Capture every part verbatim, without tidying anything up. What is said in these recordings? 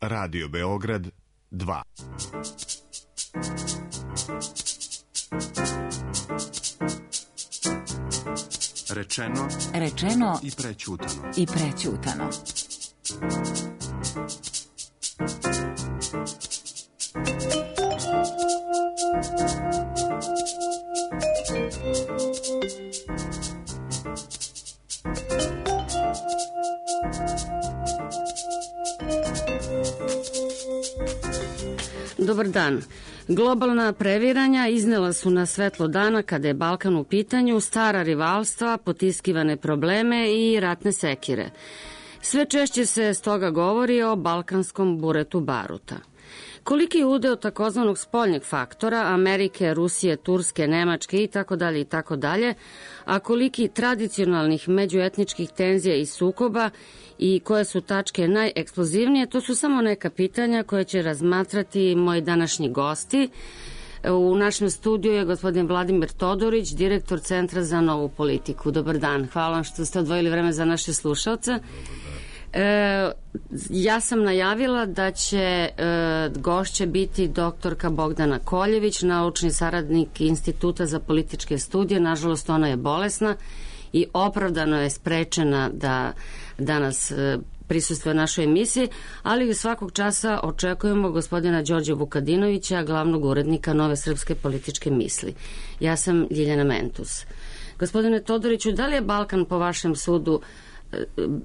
Radio Beograd dva. Rečeno, Rečeno i prećutano. I prećutano. Dobar dan. Globalna previranja iznela su na svetlo dana kada je Balkan u pitanju, stara rivalstva, potiskivane probleme i ratne sekire. Sve češće se stoga govori o balkanskom buretu baruta. Koliki je udeo takozvanog spoljnjeg faktora, Amerike, Rusije, Turske, Nemačke itd. itd., a koliki tradicionalnih međuetničkih tenzija i sukoba i koje su tačke najeksplozivnije, to su samo neka pitanja koje će razmatrati moji današnji gosti. U našem studiju je gospodin Vladimir Todorić, direktor Centra za novu politiku. Dobar dan, hvala vam što ste odvojili vreme za naše slušalce. E, ja sam najavila da će e, gošće biti doktorka Bogdana Koljević, naučni saradnik Instituta za političke studije. Nažalost, ona je bolesna i opravdano je sprečena da danas e, prisustvuje našoj emisiji, ali svakog časa očekujemo gospodina Đorđa Vukadinovića, glavnog urednika Nove srpske političke misli. Ja sam Ljiljana Mentus. Gospodine Todoriću, da li je Balkan po vašem sudu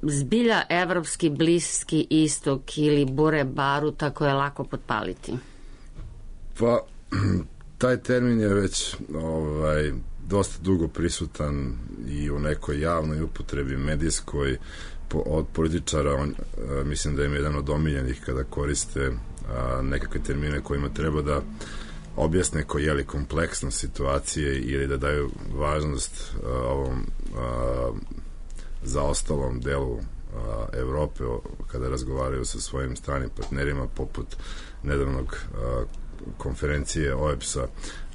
zbilja evropski bliski istok ili bure baruta koje je lako potpaliti? Pa, taj termin je već ovaj, dosta dugo prisutan i u nekoj javnoj upotrebi medijskoj po, od političara. On, a, mislim da im je jedan od omiljenih kada koriste a, nekakve termine kojima treba da objasne koji je li kompleksnost situacije ili da daju važnost a, ovom a, zaostalom delu a, Evrope kada razgovaraju sa svojim stranim partnerima, poput nedavnog a, konferencije O E B S-a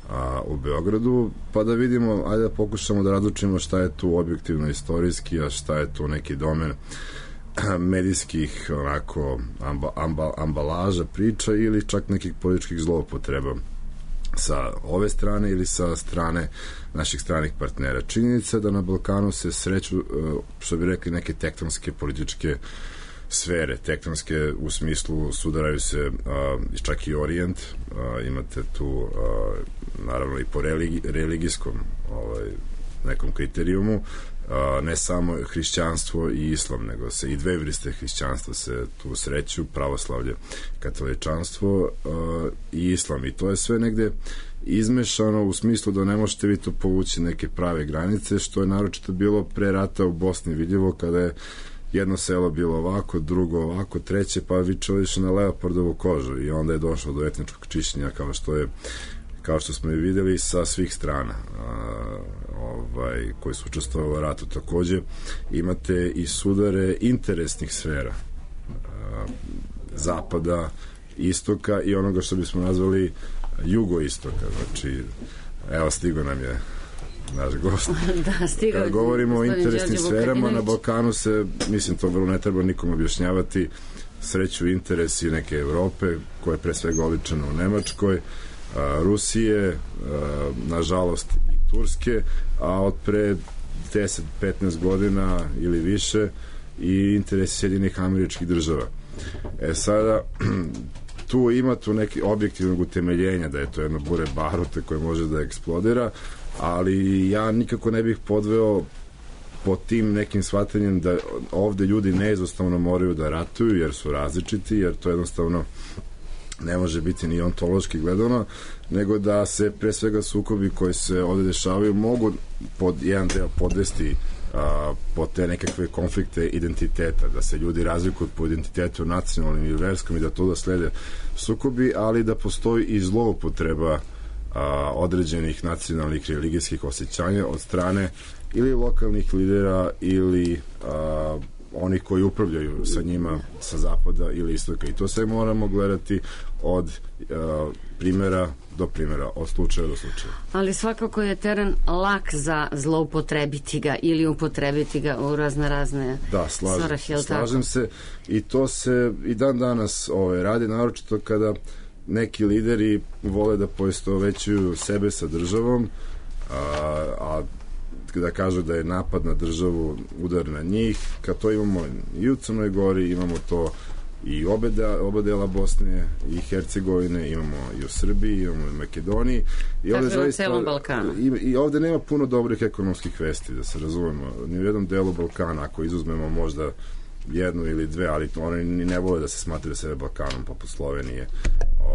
a, u Beogradu, pa da vidimo, ajde da pokušamo da razlučimo šta je tu objektivno istorijski, a šta je tu neki domen medijskih onako amba, amba, ambalaža, priča ili čak nekih političkih zloupotreba sa ove strane ili sa strane naših stranih partnera. Činjenica da na Balkanu se sreću, što bi rekli, neke tektonske političke sfere, tektonske u smislu sudaraju se a, čak i Orijent, a, imate tu a, naravno i po religi, religijskom ovaj, nekom kriterijumu, a, ne samo hrišćanstvo i islam, nego se i dve vrste hrišćanstva se tu sreću, pravoslavlje, katoličanstvo a, i islam, i to je sve negde izmešano u smislu da ne možete vi to povući neke prave granice, što je naročito bilo pre rata u Bosni vidljivo, kada je jedno selo bilo ovako, drugo ovako, treće, pa vi čovječe na leopardovu kožu, i onda je došlo do etničkog čišćenja, kao što je kao što smo i videli sa svih strana a, ovaj, koji su učestvovali u ratu. Takođe imate i sudare interesnih sfera a, zapada, istoka i onoga što bismo nazvali jugoistoka. Znači, evo, stigo nam je naš gost. Da, stigao. Kad govorimo o interesnim sferama, na Balkanu se, mislim, to vrlo ne treba nikom objašnjavati, sreću interesi neke Evrope, koja je pre svega oličena u Nemačkoj, a, Rusije, a, nažalost i Turske, a od pre deset do petnaest godina ili više i interesi Sjedinjenih Američkih Država. E sada, tu ima tu neki objektivnog utemeljenja da je to jedno bure baruta koje može da eksplodira, ali ja nikako ne bih podveo po tim nekim shvatanjem da ovde ljudi neizostavno moraju da ratuju jer su različiti, jer to jednostavno ne može biti ni ontološki gledano, nego da se pre svega sukobi koji se ovde dešavaju mogu pod jedan deo podvesti a, po te nekakve konflikte identiteta, da se ljudi razlikuju po identitetu nacionalnim ili verskom i da to da slede sukobi, ali da postoji i zloupotreba a, određenih nacionalnih religijskih osjećanja od strane ili lokalnih lidera ili a, oni koji upravljaju sa njima sa zapada ili istoka. I to sve moramo gledati od uh, primjera do primjera, od slučaja do slučaja. Ali svakako je teren lak za zloupotrebiti ga ili upotrebiti ga u razne razne da, slažem, svrhe, slažem se i to se i dan danas ovaj, radi, naročito kada neki lideri vole da poistovećuju sebe sa državom, a, a da kažu da je napad na državu udar na njih, kad to imamo i u Crnoj Gori, imamo to i obe, da, oba dela Bosne i Hercegovine, imamo i u Srbiji, imamo i u Makedoniji. I dakle, ovde na zaista, celom Balkanu. I, I ovde nema puno dobrih ekonomskih vesti, da se razumemo. Ni u jednom delu Balkana, ako izuzmemo možda jednu ili dve, ali oni ni ne vole da se smatraju sebe Balkanom, poput Slovenije.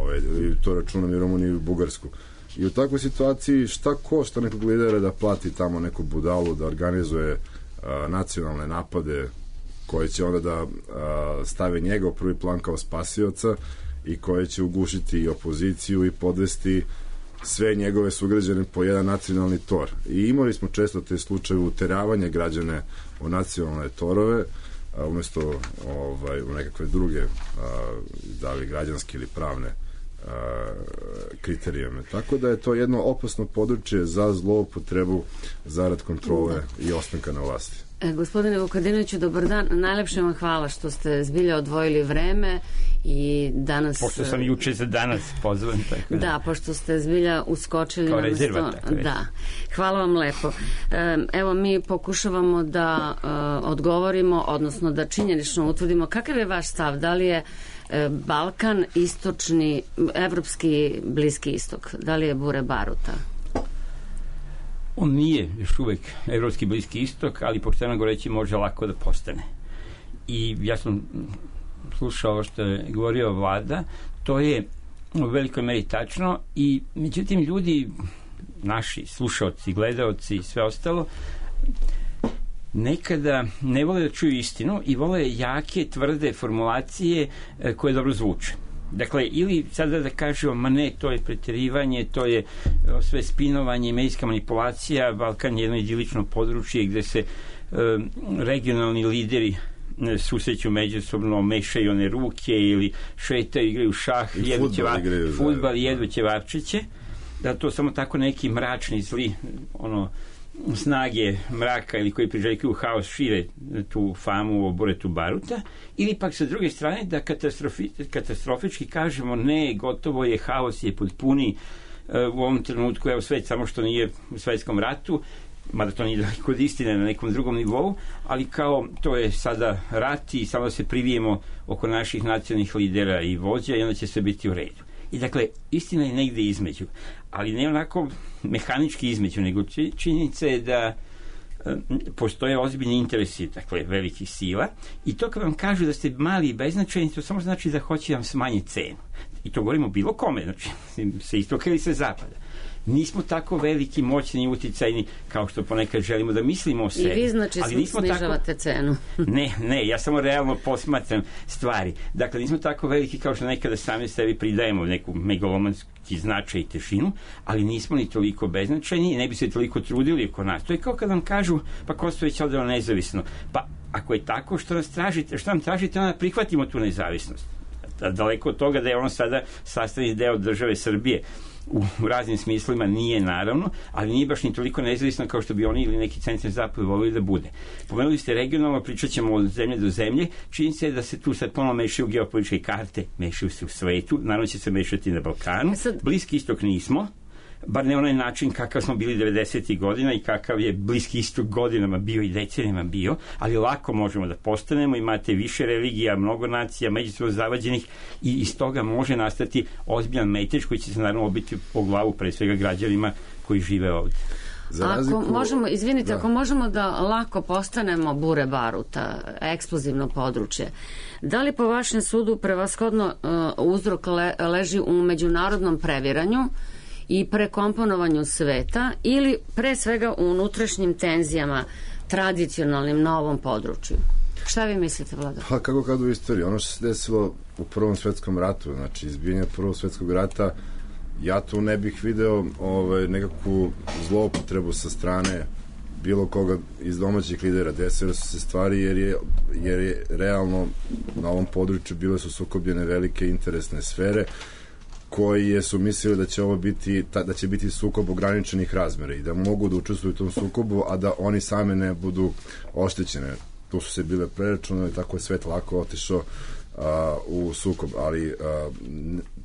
Ove, to računam i Rumuniju i Bugarsku. I u takvoj situaciji šta košta nekog lidera da plati tamo neku budalu, da organizuje a, nacionalne napade koje će onda da a, stave njega u prvi plan kao spasioca i koje će ugušiti i opoziciju i podvesti sve njegove sugrađane po jedan nacionalni tor. I imali smo često te slučaje uteravanja građane u nacionalne torove, a, umesto ovaj, u nekakve druge a, da li građanske ili pravne kriterijume. Tako da je to jedno opasno područje za zloupotrebu zarad kontrole i ostanka na vlasti. E, gospodine Vukadinoviću, dobar dan. Najlepše vam hvala što ste zbilja odvojili vreme i danas... Pošto sam juče za danas pozvan. Tako da. da, pošto ste zbilja uskočili kao na rezervat, mesto. Da. Hvala vam lepo. E, evo, mi pokušavamo da e, odgovorimo, odnosno da činjenično utvrdimo kakav je vaš stav, da li je Balkan istočni, evropski Bliski istok, da li je bure baruta? On nije još uvek evropski Bliski istok, ali pošteno govoreći može lako da postane. I ja sam slušao što je govorio Vlada, to je u velikoj meri tačno i međutim ljudi, naši slušaoci, gledaoci i sve ostalo, nekada ne vole da čuju istinu i vole jake, tvrde formulacije e, koje dobro zvuče. Dakle, ili sada da kažemo, ma ne, to je preterivanje, to je o, sve spinovanje i medijska manipulacija, Balkan je jedno idilično područje gde se e, regionalni lideri e, susreću međusobno, mešaju one ruke ili šetaju, igraju šah, jedu ćeva, fudbal i jedu ćevapčiće, da to samo tako neki mračni, zli, ono, snage mraka ili koji priželjkuju haos šire tu famu o buretu baruta, ili pak sa druge strane da katastrofi, katastrofički kažemo ne, gotovo je, haos je potpuni uh, u ovom trenutku, evo svet samo što nije u svetskom ratu, mada to nije daleko od istine na nekom drugom nivou, ali kao to je sada rat i samo se privijemo oko naših nacionalnih lidera i vođa i onda će sve biti u redu. I dakle, istina je negde između, ali ne onako mehanički između, nego činjenica je da e, postoje ozbiljni interesi, dakle, velikih sila, i to kad vam kažu da ste mali i beznačajni, to samo znači da hoće vam smanjiti cenu. I to govorimo bilo kome, znači, sa istoka ili sa zapada. Nismo tako veliki, moćni i uticajni kao što ponekad želimo da mislimo o sebi. I vi znači snižavate tako... cenu. Ne, ne, ja samo realno posmatram stvari. Dakle, nismo tako veliki kao što nekada sami sebi pridajemo neku megalomanski značaj i težinu, ali nismo ni toliko beznačajni i ne bi se toliko trudili oko nas. To je kao kad vam kažu, pa Kosovo je odrelo nezavisno. Pa ako je tako, što nas tražite, što nam tražite, onda prihvatimo tu nezavisnost. Daleko od toga da je ono sada sastavni deo države Srbije. U raznim smislima nije naravno, ali nije baš ni toliko nezavisno kao što bi oni ili neki centar zapad volili da bude. Pomenuli ste regionalno, pričat ćemo od zemlje do zemlje, čini se da se tu sad ponovno mešaju geopolitičke karte, mešaju se u svetu, naravno će se mešati na Balkanu. Bliski istok nismo, bar ne onaj način kakav smo bili devedesetih godina i kakav je Bliski istok godinama bio i decenijama bio, ali lako možemo da postanemo, imate više religija, mnogo nacija, međusobno zavađenih i iz toga može nastati ozbiljan metež koji će se naravno obiti po glavu pre svega građanima koji žive ovde. Razliku... Ako možemo, izvinite, da. ako možemo da lako postanemo bure baruta, eksplozivno područje, da li po vašem sudu prevashodno uh, uzrok le, leži u međunarodnom previranju i prekomponovanju sveta ili pre svega u unutrašnjim tenzijama tradicionalnim na ovom području? Šta vi mislite, Vlada? Pa kako kad u istoriji, ono što se desilo u Prvom svetskom ratu, znači izbijanje Prvog svetskog rata, ja tu ne bih video ovaj, nekakvu zloupotrebu sa strane bilo koga iz domaćih lidera, desile su se stvari jer je, jer je realno na ovom području bile su sukobljene velike interesne sfere koje su mislili da će ovo biti da će biti sukob ograničenih razmera i da mogu da učestvuju u tom sukobu, a da oni same ne budu oštećene. Tu su se bile preračunali, tako je svet lako otišao uh, u sukob, ali uh,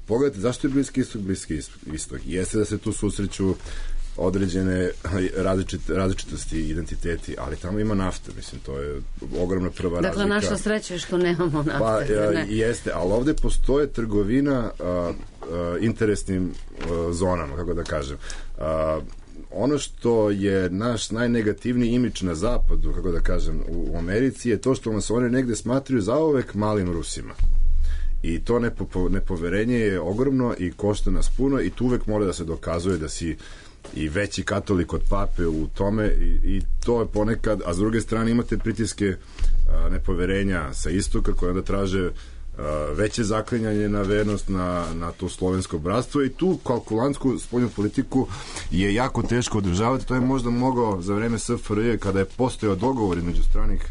pogledajte zašto je Bliski istok Bliski istok. Jeste da se tu susreću određene različit, različitosti i identiteti, ali tamo ima nafte, mislim, to je ogromna prva dakle, razlika. Dakle, naša sreća je što nemamo nafte. Pa, ne? Jeste, ali ovde postoje trgovina a, a, interesnim a, zonama, kako da kažem. A, ono što je naš najnegativniji imidž na zapadu, kako da kažem, u, u Americi je to što nas oni negde smatruju zauvek malim Rusima. I to nepo, nepoverenje je ogromno i košta nas puno i tu uvek mora da se dokazuje da si i veći katolik od pape u tome i, i to je ponekad, a s druge strane imate pritiske a, nepoverenja sa istoka koje onda traže a, veće zaklinjanje na vernost na, na to slovensko bratstvo i tu kalkulantsku spoljnu politiku je jako teško održavati. To je možda mogao za vreme S F R J kada je postojao dogovor između stranih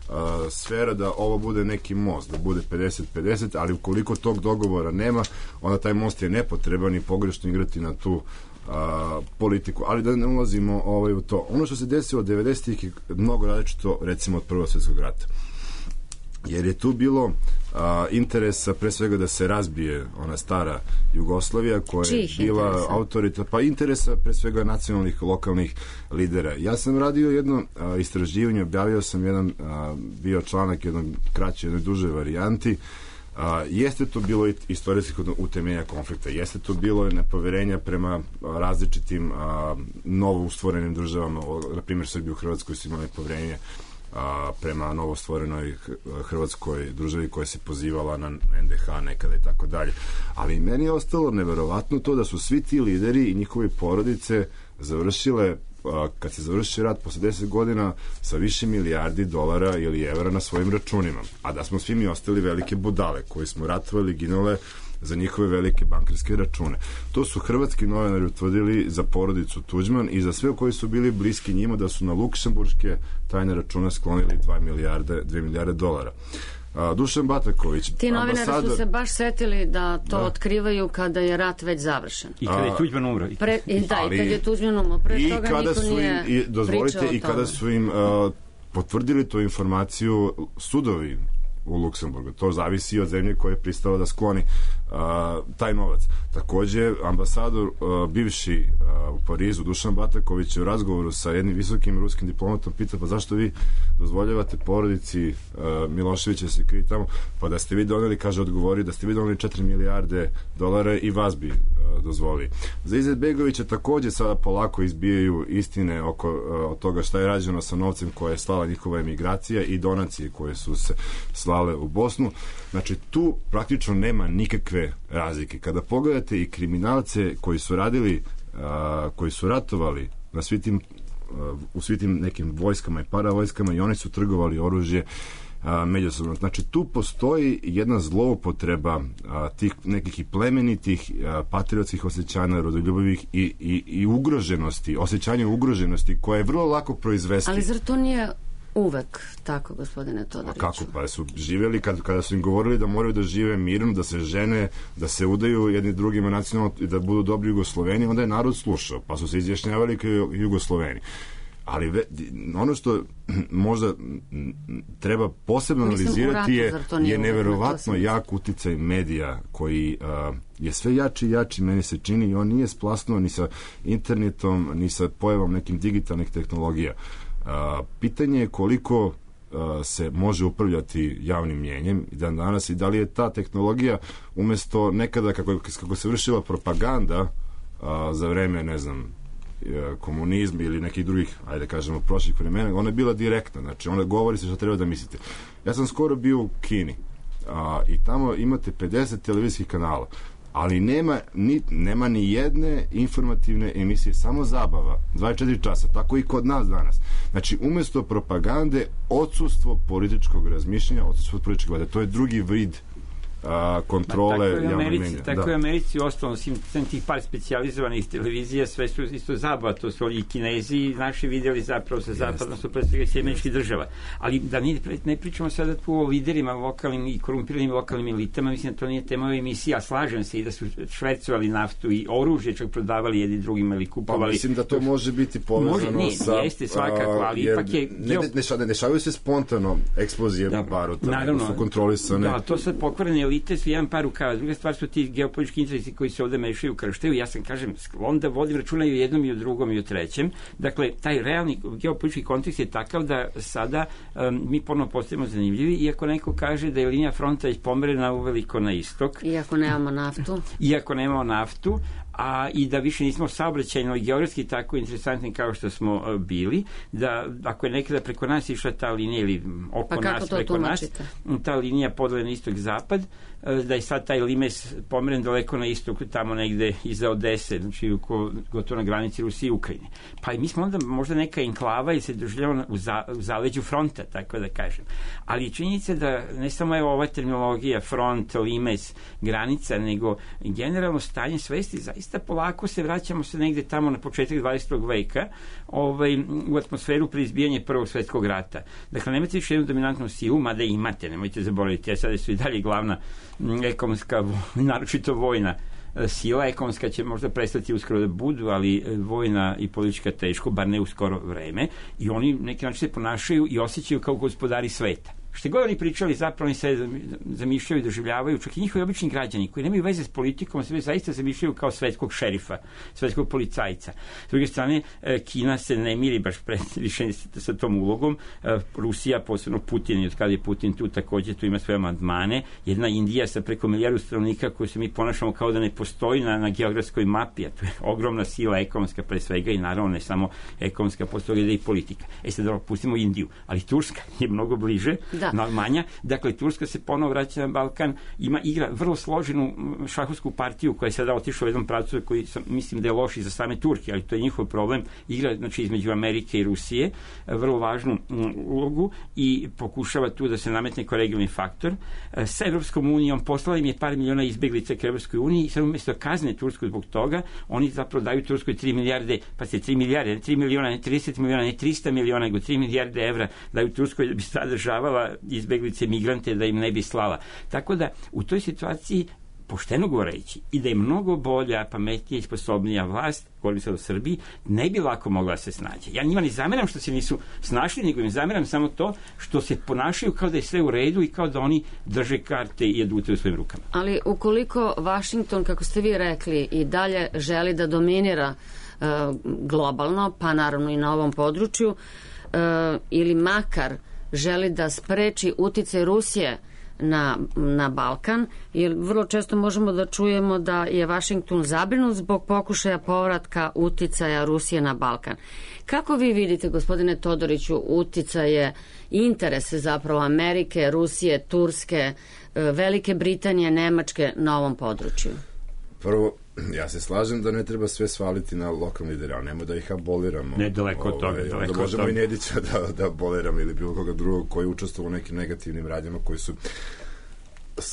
Uh, sfera da ovo bude neki most, da bude pedeset pedeset, ali ukoliko tog dogovora nema, onda taj most je nepotreban i pogrešno igrati na tu uh, politiku. Ali da ne ulazimo ovaj, u to. Ono što se desilo od devedesetih je mnogo različito, recimo, od Prvog svjetskog rata. Jer je tu bilo a, interesa pre svega da se razbije ona stara Jugoslavija koja Čih je bila interesa? autorita, pa interesa pre svega nacionalnih lokalnih lidera. Ja sam radio jedno a, istraživanje, objavio sam jedan a, bio članak jednom kraće, jednoj dužoj varijanti. A, jeste to bilo istorijskih utemeljenja konflikta, jeste to bilo nepoverenja prema a, različitim a, novo ustvorenim državama, na primjer Srbiju u Hrvatskoj su imali nepoverenje a, prema novostvorenoj hrvatskoj državi koja se pozivala na N D H nekada i tako dalje. Ali meni je ostalo neverovatno to da su svi ti lideri i njihovi porodice završile, a, kad se završi rat posle deset godina sa više milijardi dolara ili evra na svojim računima. A da smo svi mi ostali velike budale koji smo ratovali, ginule za njihove velike bankarske račune. To su hrvatski novinari utvrdili za porodicu Tuđman i za sve koji su bili bliski njima da su na luksemburške tajne račune sklonili dva milijarde, dve milijarde dolara. A, Dušan Bataković, ti novinari ambasador... su se baš setili da to da. otkrivaju kada je rat već završen. I kada je Tuđman umro. Pre, i, da, ali, i kada je Tuđman umro. Pre i toga kada niko su nije im, i, dozvolite, i kada su im uh, potvrdili tu informaciju sudovi u Luksemburgu. To zavisi od zemlje koja je pristala da skloni uh, taj novac. Takođe, ambasador uh, bivši uh, u Parizu, Dušan Bataković, je u razgovoru sa jednim visokim ruskim diplomatom pita, pa zašto vi dozvoljavate porodici uh, Miloševića se krije tamo? Pa da ste vi doneli, kaže, odgovori, da ste vi doneli četiri milijarde dolara i vas bi uh, dozvolili. Za Izetbegovića takođe sada polako izbijaju istine oko uh, od toga šta je rađeno sa novcem koje je slala njihova emigracija i donacije koje su se slale u Bosnu. Znači, tu praktično nema nikakve razlike. Kada pogledate i kriminalce koji su radili, a, koji su ratovali na svi tim, a, u svi tim nekim vojskama i paravojskama i oni su trgovali oružje a, međusobno. Znači, tu postoji jedna zloupotreba a, tih nekih i plemenitih a, patriotskih osjećanja, rodoljubivih i, i, i ugroženosti, osjećanja ugroženosti koje je vrlo lako proizvesti. Ali zar to nije uvek tako, gospodine Todoriću? A kako? Pa su živjeli kad, kada su im govorili da moraju da žive mirno, da se žene, da se udaju jedni drugima nacionalno i da budu dobri Jugosloveni, onda je narod slušao, pa su se izjašnjavali kao Jugosloveni. Ali ve, ono što možda treba posebno analizirati je, je neverovatno jak uticaj medija koji uh, je sve jači i jači, meni se čini, i on nije splasnuo ni sa internetom, ni sa pojavom nekim digitalnih tehnologija. Uh, pitanje je koliko uh, se može upravljati javnim mnjenjem i dan danas i da li je ta tehnologija umesto nekada kako, kako se vršila propaganda uh, za vreme, ne znam, komunizma ili nekih drugih, ajde kažemo, prošlih vremena, ona je bila direktna, znači ona govori se što treba da mislite. Ja sam skoro bio u Kini a, i tamo imate pedeset televizijskih kanala, ali nema ni, nema ni jedne informativne emisije, samo zabava, dvadeset četiri časa, tako i kod nas danas. Znači, umesto propagande, odsustvo političkog razmišljanja, odsustvo političkog vade, to je drugi vid a, kontrole javnog mnjenja. Tako da. je u Americi ostalo, sem tih par specijalizovanih televizija, sve su isto zabava, to su i Kinezi i naši vidjeli zapravo sa zapadno su predstavljaju američkih država. Ali da ne, ne pričamo sada tu o liderima lokalnim i korumpiranim lokalnim elitama, mislim da to nije tema ove emisije, a slažem se i da su švercovali naftu i oružje, čak prodavali jedni drugima ili kupovali. Pa mislim da to može biti povezano može, nije, sa... Jeste, svakako, ali ipak je... Ne, ne, ne, ne šavaju se spontano eksplozije da, baruta, naravno, su kontrolisane. Da, to sad pokvarene elite su jedan par rukava. Druga stvar su ti geopolitički interesi koji se ovde mešaju u krštaju. Ja sam, kažem, onda vodim računa i o jednom i o drugom i o trećem. Dakle, taj realni geopolitički kontekst je takav da sada um, mi ponovno postajemo zanimljivi, iako neko kaže da je linija fronta pomerena uveliko na istok. Iako nemamo naftu. Iako nemamo naftu, a i da više nismo saobraćajno i geografski tako interesantni kao što smo uh, bili, da ako je nekada preko nas išla ta linija ili oko pa nas preko tumačite? Nas, ta linija podele na istok-zapad, uh, da je sad taj limes pomeren daleko na istok, tamo negde iza Odese, znači oko, gotovo na granici Rusije i Ukrajine. Pa i mi smo onda možda neka enklava i se doživljamo u, za, u zaleđu fronta, tako da kažem. Ali činjenica da ne samo evo ova terminologija, front, limes, granica, nego generalno stanje svesti zaista polako se vraćamo se negde tamo na početak dvadesetog veka ovaj, u atmosferu pre izbijanja Prvog svetskog rata. Dakle, nemate više jednu dominantnu silu, mada imate, nemojte zaboraviti, a sada su i dalje glavna m, ekonomska, naročito vojna sila, ekonomska će možda prestati uskoro da budu, ali vojna i politička teško, bar ne u skoro vreme, i oni neki način se ponašaju i osjećaju kao gospodari sveta. Što god oni pričali, zapravo oni se zamišljaju i doživljavaju, čak i njihovi obični građani koji nemaju veze s politikom, se zaista zamišljaju kao svetskog šerifa, svetskog policajca. S druge strane, Kina se ne miri baš pre, više sa tom ulogom. Rusija, posebno Putin, i od kada je Putin tu, takođe tu ima svoje amandmane. Jedna Indija sa preko milijardu stanovnika koju se mi ponašamo kao da ne postoji na, na geografskoj mapi, a to je ogromna sila ekonomska pre svega i naravno ne samo ekonomska, postoji da i politika. E sad da pustimo Indiju, ali Turska je mnogo bliže. Da. Manja. Dakle, Turska se ponovo vraća na Balkan, ima igra vrlo složenu šahovsku partiju koja je sada otišla u jednom pravcu koji sam, mislim da je loš i za same Turke, ali to je njihov problem. Igra, znači, između Amerike i Rusije vrlo važnu ulogu i pokušava tu da se nametne kao regionalni faktor. Sa Evropskom unijom poslala im je par miliona izbeglica ka Evropskoj uniji i sad umjesto kazne Tursku zbog toga, oni zapravo daju Turskoj tri milijarde, pa se tri milijarde, ne tri miliona, ne trideset miliona, ne trista miliona, nego tri milijarde evra daju Turskoj da bi sadržavala izbeglice, migrante, da im ne bi slala. Tako da u toj situaciji, pošteno govoreći, i da je mnogo bolja, pametnija i sposobnija vlast, govorim sad o Srbiji, ne bi lako mogla da se snađe. Ja njima ne zameram što se nisu snašli, nego im zameram samo to što se ponašaju kao da je sve u redu i kao da oni drže karte i adute u svojim rukama. Ali ukoliko Vašington, kako ste vi rekli, i dalje želi da dominira uh, globalno, pa naravno i na ovom području, uh, ili makar želi da spreči uticaj Rusije na, na Balkan, jer vrlo često možemo da čujemo da je Vašington zabrinut zbog pokušaja povratka uticaja Rusije na Balkan. Kako vi vidite, gospodine Todoriću, uticaje i interese zapravo Amerike, Rusije, Turske, Velike Britanije, Nemačke na ovom području? Prvo, ja se slažem da ne treba sve svaliti na lokalni lidere, ali nemoj da ih aboliramo. Ne, daleko od toga. Da možemo i Nedića da, da aboliramo ili bilo koga drugog koji je učestvovao u nekim negativnim radnjama koji su...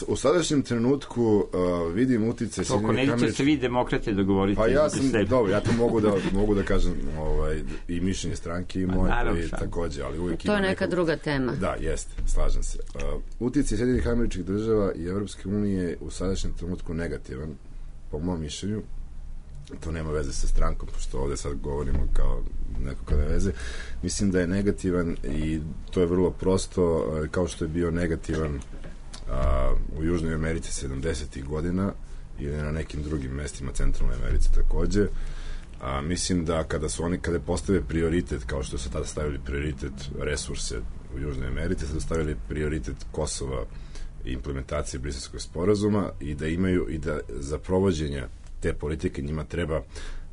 U sadašnjem trenutku uh, vidim utice... Oko Nedića se vi demokrate dogovorite. Pa ja sam, dobro, ja to mogu da, mogu da kažem ovaj, i mišljenje stranke i moje, i takođe, ali uvijek to je neka nekog... druga tema. Da, jeste, slažem se. Uh, utice Sjedinjenih Američkih Država i Evropske unije u sadašnjem trenutku negativan, po mom mišljenju. To nema veze sa strankom, pošto ovde sad govorimo kao neko kada veze. Mislim da je negativan i to je vrlo prosto, kao što je bio negativan a, u Južnoj Americi sedamdesetih godina ili na nekim drugim mestima Centralne Americe takođe. A, mislim da kada su oni, kada postave prioritet, kao što su tada stavili prioritet resurse u Južnoj Americi, sada stavili prioritet Kosova i implementacije Briselskog sporazuma i da imaju i da za provođenje te politike njima treba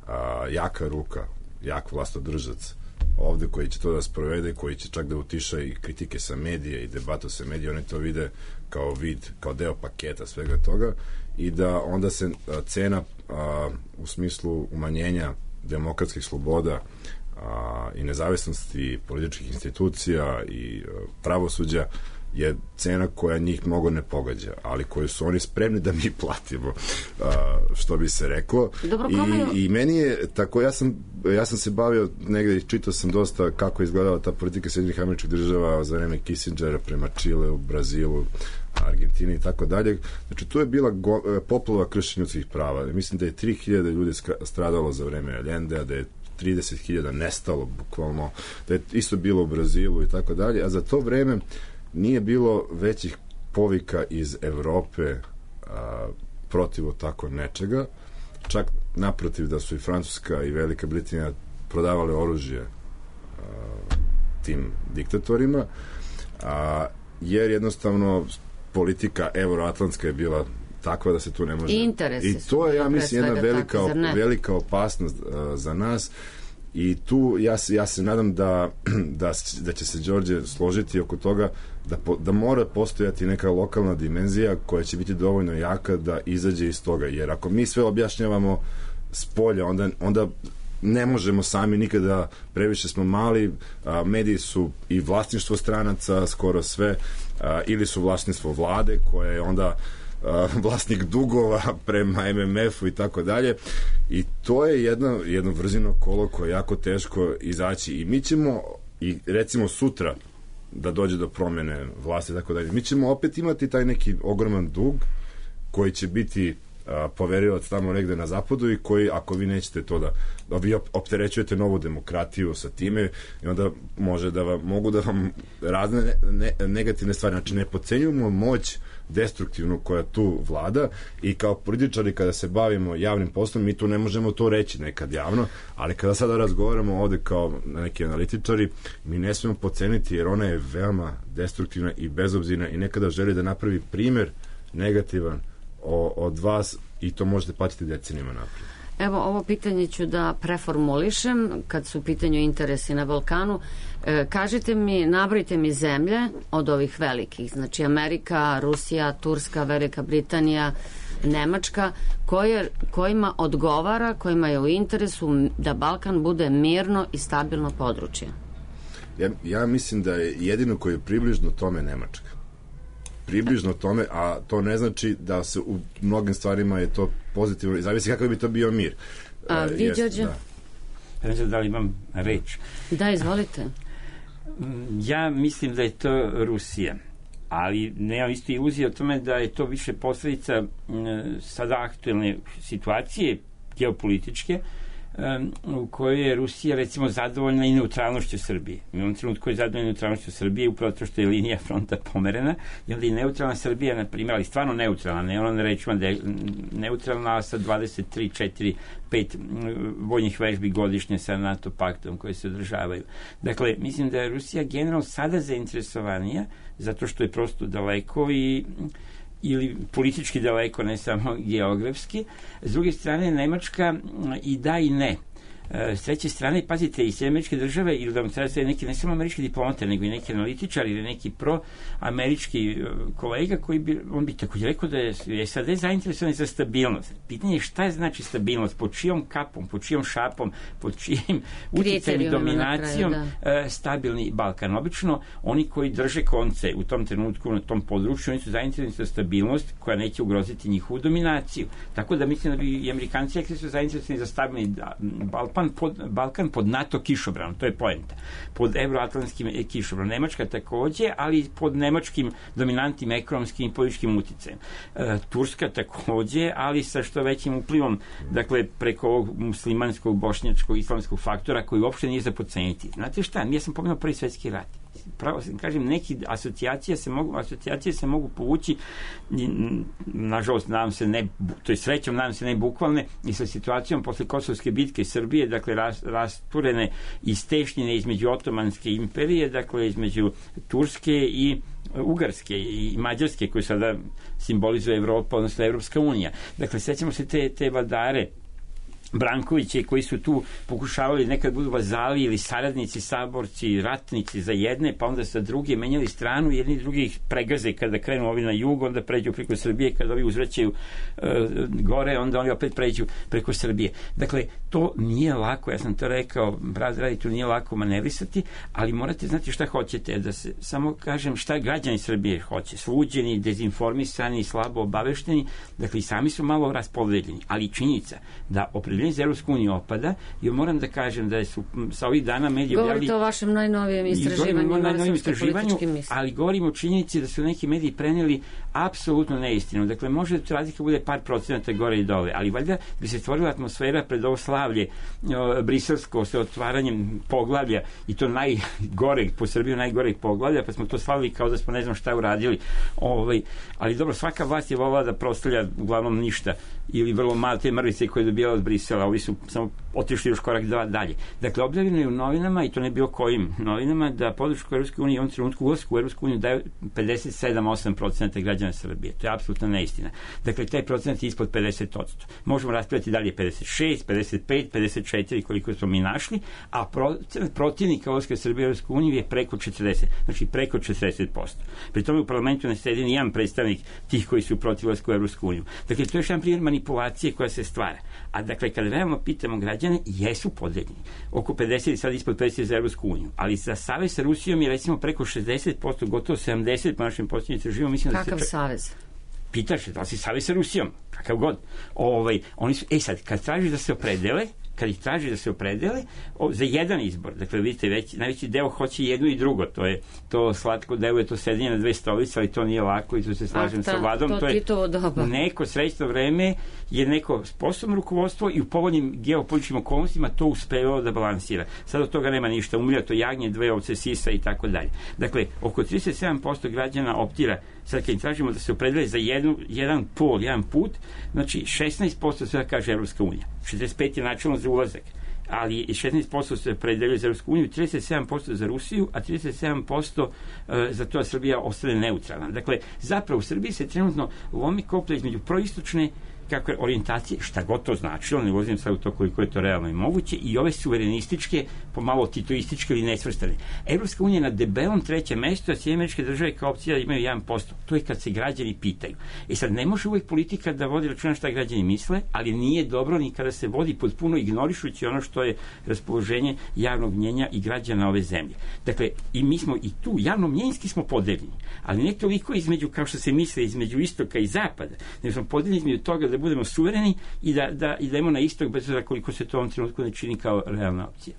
a, jaka ruka, jak vlastodržac ovde koji će to da sprovede, koji će čak da utiša i kritike sa medije i debatu sa medije, oni to vide kao vid, kao deo paketa svega toga i da onda se a, cena a, u smislu umanjenja demokratskih sloboda a, i nezavisnosti političkih institucija i a, pravosuđa je cena koja njih mnogo ne pogađa, ali koju su oni spremni da mi platimo, što bi se reklo. Dobro, I, i meni je tako, ja sam, ja sam se bavio negde i čitao sam dosta kako je izgledala ta politika Sjedinjenih Američkih Država za vreme Kissingera prema Čileu, Brazilu, Argentini i tako dalje. Znači, tu je bila go, poplava kršenja ljudskih prava. Mislim da je tri hiljade ljudi stradalo za vreme Allendea, da je trideset hiljada nestalo bukvalno, da je isto bilo u Brazilu i tako dalje, a za to vreme nije bilo većih povika iz Evrope a, protiv tako nečega, čak naprotiv da su i Francuska i Velika Britanija prodavale oružje a, tim diktatorima, a, jer jednostavno politika euroatlantska je bila takva da se tu ne može... I interesi I to je, ja mislim, jedna velika, tako, velika opasnost uh, za nas i tu ja se, ja se nadam da, da, da će se Đorđe složiti oko toga da, po, da mora postojati neka lokalna dimenzija koja će biti dovoljno jaka da izađe iz toga, jer ako mi sve objašnjavamo s polja, onda, onda ne možemo sami nikada, previše smo mali, a, mediji su i vlasništvo stranaca, skoro sve, a, ili su vlasništvo vlade koje je onda vlasnik dugova prema em em efu i tako dalje, i to je jedno, jedno vrzino kolo koje je jako teško izaći i mi ćemo, i recimo sutra da dođe do promene vlasti i tako dalje, mi ćemo opet imati taj neki ogroman dug koji će biti a, poverilac tamo negde na zapadu i koji, ako vi nećete to da, da vi opterećujete novu demokratiju sa time, i onda može da vam, mogu da vam razne ne, ne, negativne stvari, znači ne podcenjujemo moć destruktivnu koja tu vlada, i kao političari kada se bavimo javnim poslom mi tu ne možemo to reći nekad javno, ali kada sada razgovaramo ovde kao neki analitičari, mi ne smemo podceniti, jer ona je veoma destruktivna i bezobzirna i nekada želi da napravi primer negativan o, od vas, i to možete platiti decenijama naprijed. Evo, ovo pitanje ću da preformulišem kad su u pitanju interesi na Balkanu. E, kažite mi, nabrojite mi zemlje od ovih velikih, znači Amerika, Rusija, Turska, Velika Britanija, Nemačka, koje, kojima odgovara, kojima je u interesu da Balkan bude mirno i stabilno područje. Ja, ja mislim da je jedino koji je približno tome Nemačka. Približno tome, a to ne znači da se u mnogim stvarima je to pozitivno, zavisi kakav bi to bio mir. A vi, Đorđe? Da. Ne znam da li imam reč. Da, izvolite. Ja mislim da je to Rusija, ali nemam isto iluzije o tome da je to više posledica sada aktuelne situacije geopolitičke, u kojoj je Rusija recimo zadovoljna i neutralnošću Srbije. U ovom trenutku je zadovoljna neutralnošću Srbije upravo to što je linija fronta pomerena, i onda i neutralna Srbija, na primjer, ali stvarno neutralna, ne ono ne rečima da je neutralna sa dvadeset tri, četiri, pet vojnih vežbi godišnje sa NATO paktom koje se održavaju. Dakle, mislim da je Rusija generalno sada zainteresovanija zato što je prosto daleko i ili politički daleko, ne samo geografski. S druge strane, Nemačka i da i ne. S treće strane, pazite, i sve američke države, ili da vam treba sve neki, ne samo američki diplomate, nego i neki analitičari ili neki pro-američki kolega koji bi, on bi također rekao da je S A D zainteresovan za stabilnost. Pitanje je šta je znači stabilnost, pod čijom kapom, pod čijom šapom, pod čijim utjecajem i dominacijom kraju, stabilni Balkan. Obično, oni koji drže konce u tom trenutku na tom području, oni su zainteresovani za stabilnost koja neće ugroziti njihovu dominaciju. Tako da mislim da bi i Amerikanci rekli su zainteresovani za stabilni Balkan pod, Balkan pod NATO kišobranom, to je poenta. Pod euroatlantskim kišobranom. Nemačka takođe, ali pod nemačkim dominantnim ekonomskim i političkim uticajem. E, Turska takođe, ali sa što većim uplivom, dakle, preko ovog muslimanskog, bošnjačkog, islamskog faktora koji uopšte nije za podceniti. Znate šta, ja sam pomenuo Prvi svetski rat. Pravo kažem, neki asocijacije se mogu, asocijacije se mogu povući, nažalost, nadam se ne, to je srećom, nadam se ne bukvalne, i sa situacijom posle Kosovske bitke Srbije, dakle, ras, rasturene i stešnjene između Otomanske imperije, dakle, između Turske i Ugarske i Mađarske, koje sada simbolizuje Evropa, odnosno Evropska unija. Dakle, sećamo se te, te vladare Brankoviće koji su tu pokušavali nekad budu vazali ili saradnici, saborci, ratnici za jedne, pa onda sa druge menjali stranu, jedni drugi ih pregaze kada krenu ovi na jug, onda pređu preko Srbije, kada ovi uzvraćaju uh, gore, onda oni opet pređu preko Srbije. Dakle, to nije lako, ja sam to rekao, brat radi, to nije lako manevrisati, ali morate znati šta hoćete, da se samo kažem šta građani Srbije hoće, sluđeni, dezinformisani, slabo obavešteni, dakle i sami su malo raspodeljeni, ali činjenica da opredeljenje za Evropsku uniju opada i moram da kažem da su sa ovih dana mediji objavili... Govorite o vašem najnovijem istraživanju, o najnovijem istraživanju, ali govorimo o činjenici da su neki mediji preneli apsolutno neistinu. Dakle, može da razlika bude par procenata gore i dole, ali valjda bi se stvorila atmosfera pred ovo slavlje o, briselsko sa otvaranjem poglavlja i to najgoreg, po Srbiju najgoreg poglavlja, pa smo to slavili kao da smo ne znam šta uradili. Ovaj, ali dobro, svaka vlast je volila da proslavlja uglavnom ništa ili vrlo malo te mrvice koje je dobijala od Brisela. Ovi su samo otišli još korak dva dalje. Dakle, objavljeno je u novinama, i to ne bilo kojim novinama, da podršku Evropske unije u ovom trenutku ulasku u Evropsku uniju daju pedeset sedam do osam procenata građana Srbije. To je apsolutna neistina. Dakle, taj procenat je ispod pedeset posto. Možemo raspravljati da li je pedeset šest, pedeset pet, pedeset četiri koliko smo mi našli, a procenat protivnika ulaska Srbije u Evropsku uniju je preko četrdeset, znači preko četrdeset posto. Pri tome u parlamentu ne sedi ni jedan predstavnik tih koji su protiv ulaska u Evropsku uniju. Dakle, to je još jedan primjer manipulacije koja se stvara. A dakle, kada realno pitamo građane, jesu podeljeni. Oko pedeset i sad ispod pedeset za Evropsku uniju. Ali za savez sa Rusijom je recimo preko šezdeset posto, gotovo sedamdeset po našem posljednjem istraživanju. Kakav da se... savez? Pitaš, da li si savez sa Rusijom? Kakav god. Ovaj, oni su, e sad, kad traži da se opredele, kad ih traži da se opredele o, za jedan izbor, dakle vidite već, najveći deo hoće jedno i drugo, to je to slatko deluje, to sedenje na dve stolice, ali to nije lako i tu se slažem ah, ta, sa vladom, to, to je doba. neko srećno vreme je neko sposobno rukovodstvo i u povoljnim geopolitičkim okolnostima to uspevalo da balansira. Sad od toga nema ništa, umilja to jagnje, dve ovce sisa i tako dalje. Dakle, oko trideset sedam posto građana optira, sad kad im tražimo da se opredele za jednu, jedan pol, jedan put, znači šesnaest posto sve kaže Evropska unija, šezdeset pet posto je načelno za ulazak, ali šesnaest posto se opredeljuje za Evropsku uniju, trideset sedam posto za Rusiju, a trideset sedam posto za to da Srbija ostane neutralna. Dakle, zapravo u Srbiji se trenutno lomi koplja između proistočne kako je orijentacije, šta god to značilo, ne ulazim sad u to koliko je to realno i moguće, i ove suverenističke, pomalo titoističke ili nesvrstane. Evropska unija na debelom trećem mestu, a Sjedinjene Američke Države kao opcija imaju jedan posto. To je kad se građani pitaju. I sad ne može uvijek politika da vodi računa šta građani misle, ali nije dobro ni kada se vodi potpuno ignorišući ono što je raspoloženje javnog mnjenja i građana ove zemlje. Dakle, i mi smo i tu javno mnjenjski smo podeljeni, ali ne toliko između, kao što se misle, između istoka i zapada, nego smo podeljeni između toga da budemo suvereni i da, da idemo na istok bez obzira koliko se to u ovom trenutku ne čini kao realna opcija.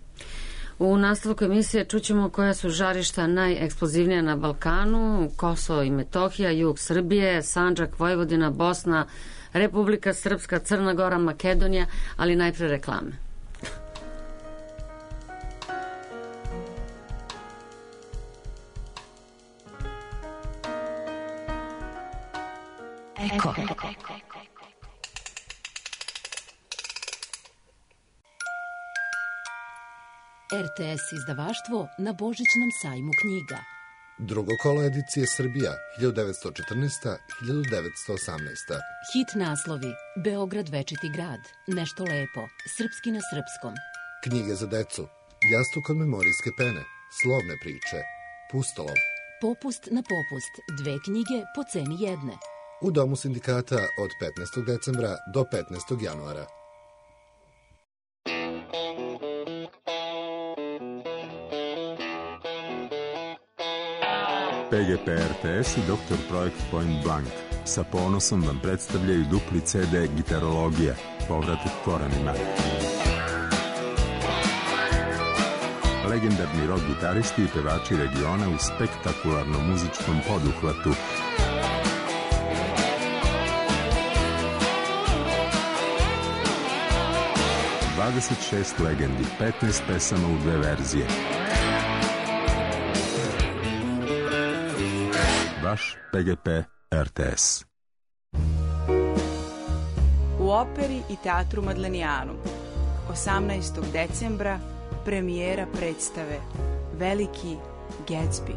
U nastavku emisije čućemo koja su žarišta najeksplozivnija na Balkanu: Kosovo i Metohija, jug Srbije, Sandžak, Vojvodina, Bosna, Republika Srpska, Crna Gora, Makedonija, ali najpre reklame. Eko. er te es izdavaštvo na Božićnom sajmu knjiga. Drugo kolo edicije Srbija hiljadu devetsto četrnaesta do hiljadu devetsto osamnaesta. Hit naslovi: Beograd večiti grad, Nešto lepo, Srpski na srpskom. Knjige za decu: Jastuk od memorijske pene, Slovne priče, Pustolov. Popust na popust, dve knjige po ceni jedne. U Domu sindikata od petnaestog decembra do petnaestog januara. P G P R T S i Doktor Projekt Point Blank sa ponosom vam predstavljaju dupli ce de Gitarologija, povratak korenima. Legendarni rock gitaristi i pevači regiona u spektakularnom muzičkom poduhvatu. dvadeset šest legendi, petnaest pesama u dve verzije. Vaš P G P R T S. U operi i teatru Madlenijanu osamnaestog decembra premijera predstave Veliki Gatsby.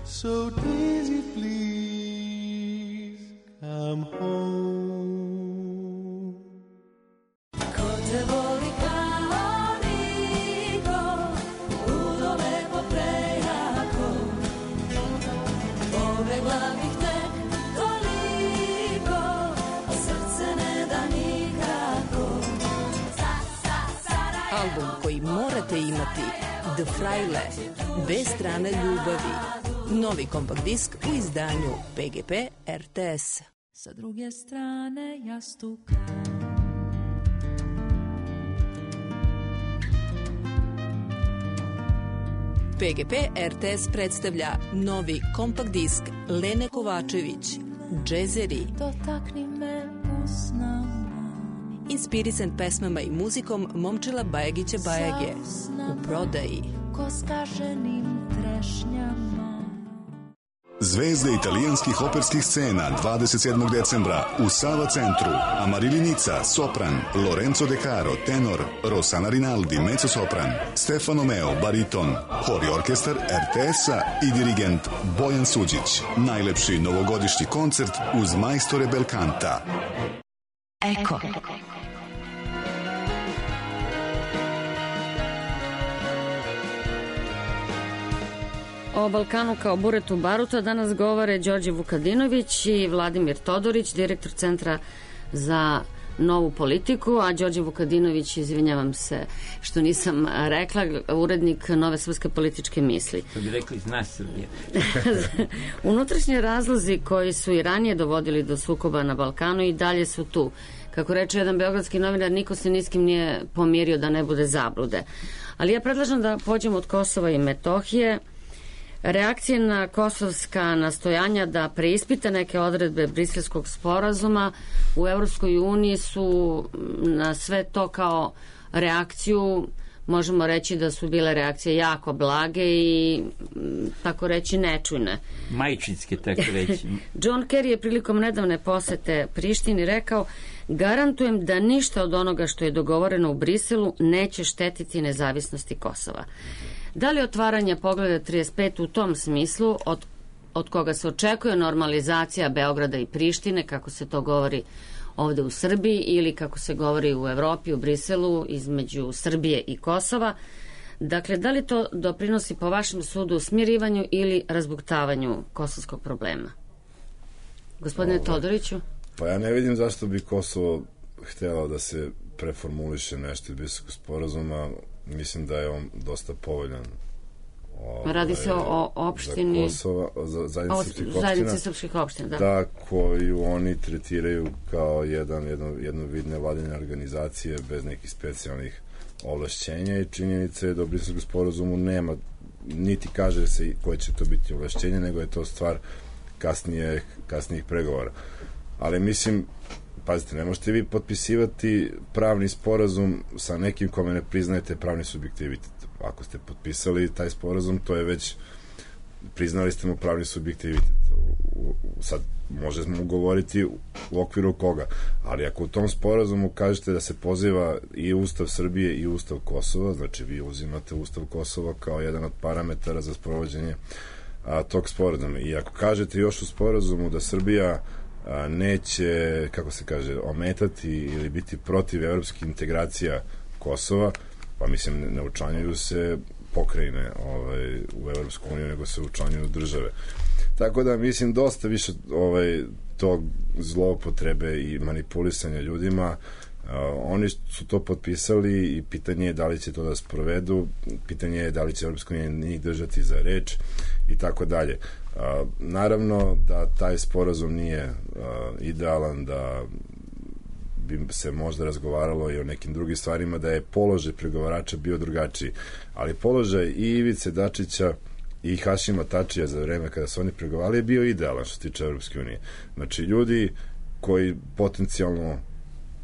So Daisy, please come home. imati The Fraile, B strane ljubavi. Novi kompakt disk u izdanju P G P R T S. Sa druge strane jastuka. P G P R T S predstavlja novi kompakt disk Lene Kovačević, Džezeri. Dotakni me usnama. Inspirisan pesmama i muzikom Momčila Bajagića Bajage. U prodaji. Ko skaženim trešnjama. Zvezde italijanskih operskih scena dvadeset sedmog decembra u Sava centru. Amarilli Nica, sopran, Lorenzo De Caro, tenor, Rossana Rinaldi, mezzosopran, Stefano Meo, bariton, hor i orkestar R T S-a i dirigent Bojan Suđić. Najlepši novogodišnji koncert uz majstore Belkanta. Eko. O Balkanu kao buretu baruta danas govore Đorđe Vukadinović i Vladimir Todorić, direktor Centra za novu politiku, a Đorđe Vukadinović, izvinjavam se što nisam rekla, urednik Nove srpske političke misli. To bi rekli zna Srbije. Unutrašnji razlozi koji su i ranije dovodili do sukoba na Balkanu i dalje su tu. Kako reče jedan beogradski novinar, niko se ni s kim nije pomirio da ne bude zablude. Ali ja predlažem da pođemo od Kosova i Metohije. Reakcije na kosovska nastojanja da preispita neke odredbe Briselskog sporazuma u Evropskoj uniji su na sve to kao reakciju, možemo reći da su bile reakcije jako blage i tako reći nečujne. Majčinske, tako reći. John Kerry je prilikom nedavne posete Prištini rekao: garantujem da ništa od onoga što je dogovoreno u Briselu neće štetiti nezavisnosti Kosova. Da li otvaranje Poglavlja trideset pet u tom smislu, od, od koga se očekuje normalizacija Beograda i Prištine, kako se to govori ovde u Srbiji, ili kako se govori u Evropi, u Briselu, između Srbije i Kosova, dakle, da li to doprinosi po vašem sudu smirivanju ili razbuktavanju kosovskog problema? Gospodine Ovo, Todoriću? Pa ja ne vidim zašto bi Kosovo htjelo da se preformuliše nešto iz Briselskog sporazuma. Mislim da je on dosta povoljan. Ovaj, Radi se o, o opštini... Za Kosova, za zajednici srpskih opština, da. Da, koju oni tretiraju kao jedan, jedno, jedno vid nevladine organizacije bez nekih specijalnih ovlašćenja i činjenica je da u Briselskom sporazumu nema, niti kaže se koje će to biti ovlašćenje, nego je to stvar kasnije, kasnijih pregovora. Ali mislim, pazite, ne možete vi potpisivati pravni sporazum sa nekim kome ne priznajete pravni subjektivitet. Ako ste potpisali taj sporazum, to je već, priznali ste mu pravni subjektivitet. Sad možemo govoriti u okviru koga, ali ako u tom sporazumu kažete da se poziva i Ustav Srbije i Ustav Kosova, znači vi uzimate Ustav Kosova kao jedan od parametara za sprovođenje a, tog sporazuma. I ako kažete još u sporazumu da Srbija a, neće, kako se kaže, ometati ili biti protiv evropskih integracija Kosova, pa mislim ne učlanjuju se pokrajine ovaj, u Evropsku uniju, nego se učlanjuju države. Tako da mislim dosta više ovaj, tog zloupotrebe i manipulisanja ljudima. Uh, oni su to potpisali i pitanje je da li će to da sprovedu, pitanje je da li će Evropska unija njih držati za reč i tako dalje. Uh, naravno da taj sporazum nije uh, idealan, da bi se možda razgovaralo i o nekim drugim stvarima, da je položaj pregovarača bio drugačiji, ali položaj i Ivice Dačića i Hašima Tačija za vreme kada su oni pregovarali je bio idealan što se tiče Evropske unije. Znači, ljudi koji potencijalno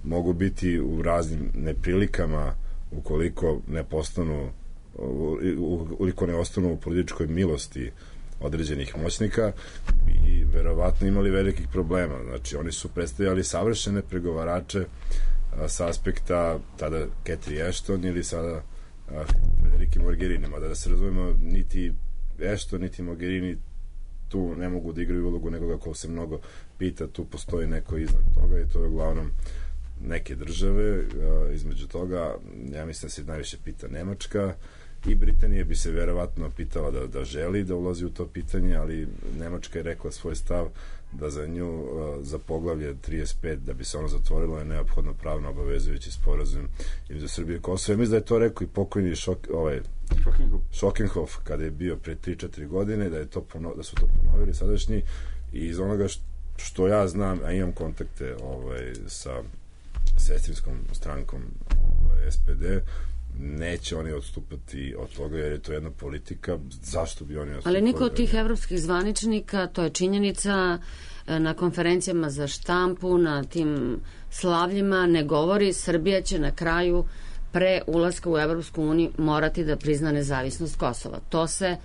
mogu biti u raznim neprilikama ukoliko ne postanu, ukoliko ne ostanu u političkoj milosti određenih moćnika i verovatno imali velikih problema. Znači, oni su predstavljali savršene pregovarače a, sa aspekta tada Cathy Ashton ili sada Federike Mogherini, mada da se razumemo, niti Ashton, niti Mogherini tu ne mogu da igraju ulogu nekoga ko se mnogo pita, tu postoji neko iznad toga i to je uglavnom neke države. A, između toga, ja mislim da se najviše pita Nemačka i Britanija bi se verovatno pitala da, da želi da ulazi u to pitanje, ali Nemačka je rekla svoj stav da za nju, za poglavlje trideset pet, da bi se ono zatvorilo, je neophodno pravno obavezujući sporazum između Srbije i Kosova. Ja mislim da je to rekao i pokojni Šok, ovaj, Šokenhof kada je bio pre tri četiri godine, da, je to pono, da su to ponovili sadašnji, i iz onoga što, što ja znam, a imam kontakte ovaj, sa sestrinskom strankom ovaj, S P D, neće oni odstupati od toga, jer je to jedna politika. Zašto bi oni odstupali? Ali niko od tih evropskih zvaničnika, to je činjenica, na konferencijama za štampu, na tim slavljima ne govori Srbija će na kraju pre ulaska u Evropsku uniju morati da prizna nezavisnost Kosova. To se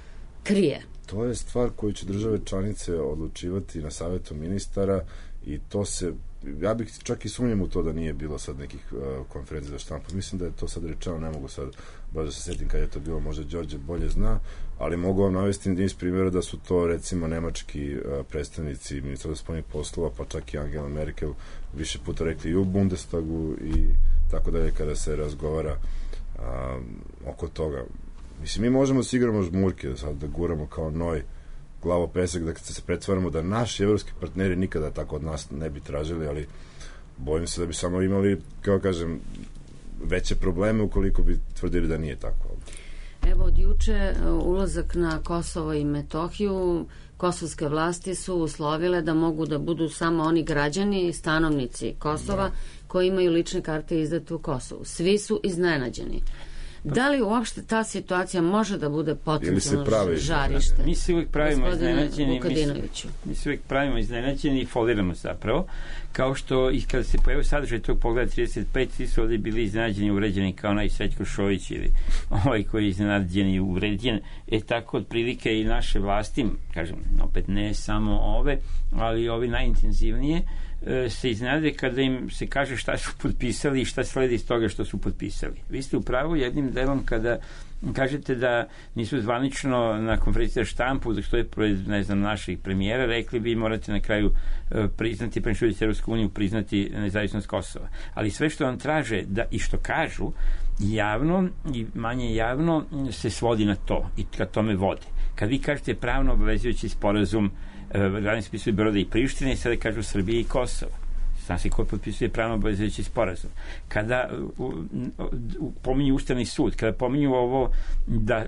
krije. To je stvar koju će države članice odlučivati na savjetu ministara, i to se, ja bih čak i sumnjam u to da nije bilo sad nekih uh, konferencija za štampu. Mislim da je to sad rečeno, ne mogu sad baš da se setim kada je to bilo, možda Đorđe bolje zna, ali mogu vam navesti niz primjera da su to recimo nemački uh, predstavnici ministarstva spoljnih poslova, pa čak i Angela Merkel više puta rekli i u Bundestagu i tako dalje, kada se razgovara uh, oko toga. Mislim, mi možemo da se igramo žmurke, da sad da guramo kao noj glavo pesak, da se pretvaramo da naši evropski partneri nikada tako od nas ne bi tražili, ali bojim se da bi samo imali, kao kažem, veće probleme ukoliko bi tvrdili da nije tako. Evo, od juče ulazak na Kosovo i Metohiju, kosovske vlasti su uslovile da mogu da budu samo oni građani i stanovnici Kosova da. koji imaju lične karte izdate u Kosovu. Svi su iznenađeni. Da li uopšte ta situacija može da bude potencijalno žarište? Mi se uvijek pravimo iznenađeni, mi, mi se uvijek pravimo iznenađeni i foliramo zapravo, kao što i kada se pojavio sadržaj tog pogleda trideset pet, svi su ovdje bili iznenađeni i uređeni kao onaj Srećko Šojić ili ovaj koji je iznenađen i uređen. E tako otprilike i naše vlasti, kažem, opet ne samo ove, ali ovi najintenzivnije, se iznenade kada im se kaže šta su potpisali i šta sledi iz toga što su potpisali. Vi ste u pravu jednim delom kada kažete da nisu zvanično na konferenciji za štampu, da što je pred, ne znam, naših premijera, rekli bi morate na kraju uh, priznati, pre što idete Evropsku uniju, priznati nezavisnost Kosova. Ali sve što vam traže da, i što kažu javno i manje javno se svodi na to i ka tome vode. Kad vi kažete pravno obavezujući sporazum, glavni spisuju Beograda i Prištine, i sada kažu Srbije i Kosova. Zna se ko potpisuje pravno obavezujući sporazum. Kada u, u, pominju Ustavni sud, kada pominju ovo da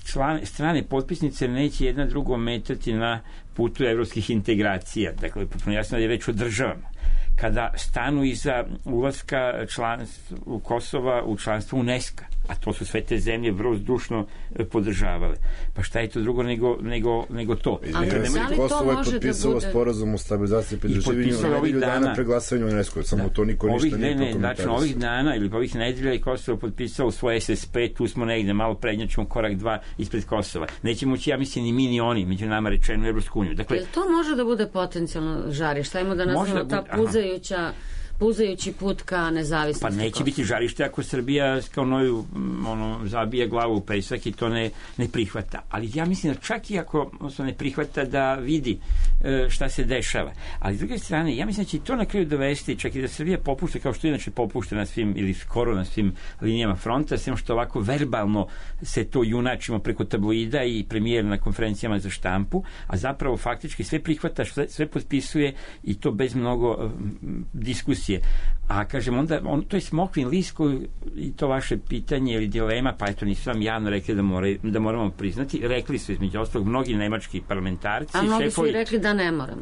član, strane potpisnice neće jedna drugo metati na putu evropskih integracija, dakle, potpuno jasno da je reč o državama, kada stanu iza ulaska članstva Kosova u članstvo UNESCO, a to su sve te zemlje vrlo zdušno podržavale. Pa šta je to drugo nego, nego, nego to? Izvinite, Kosovo je potpisalo bude... sporazum o stabilizaciji i pridruživanju na nedelju dana pre glasanja u UNESCO, samo da. To niko ništa ovih, nije ne, znači, ovih dana ili ovih nedelja je Kosovo potpisalo svoj S S P, tu smo negde, malo prednjačimo korak dva ispred Kosova. Nećemo ući, ja mislim, ni mi ni oni, među nama rečeno, Evropsku uniju. Dakle, jel to može da bude potencijalno žarište? Ajmo da nazvamo ta puzajuća puzajući put ka nezavisnosti. Pa neće biti žarište ako Srbija kao noju ono, zabija glavu u pesak i to ne, ne prihvata. Ali ja mislim da čak i ako se ne prihvata da vidi e, šta se dešava. Ali s druge strane, ja mislim da će to na kraju dovesti, čak i da Srbija popušta kao što inače popušta na svim ili skoro na svim linijama fronta, sem što ovako verbalno se to junačimo preko tabloida i premijer na konferencijama za štampu, a zapravo faktički sve prihvata, sve, sve potpisuje i to bez mnogo um, diskusije. A kažem, onda, on, to je smokvin list koji, i to vaše pitanje ili dilema, pa eto nisu vam javno rekli da, more, da moramo priznati, rekli su između ostalog mnogi nemački parlamentarci. A mnogi su i rekli da ne moramo.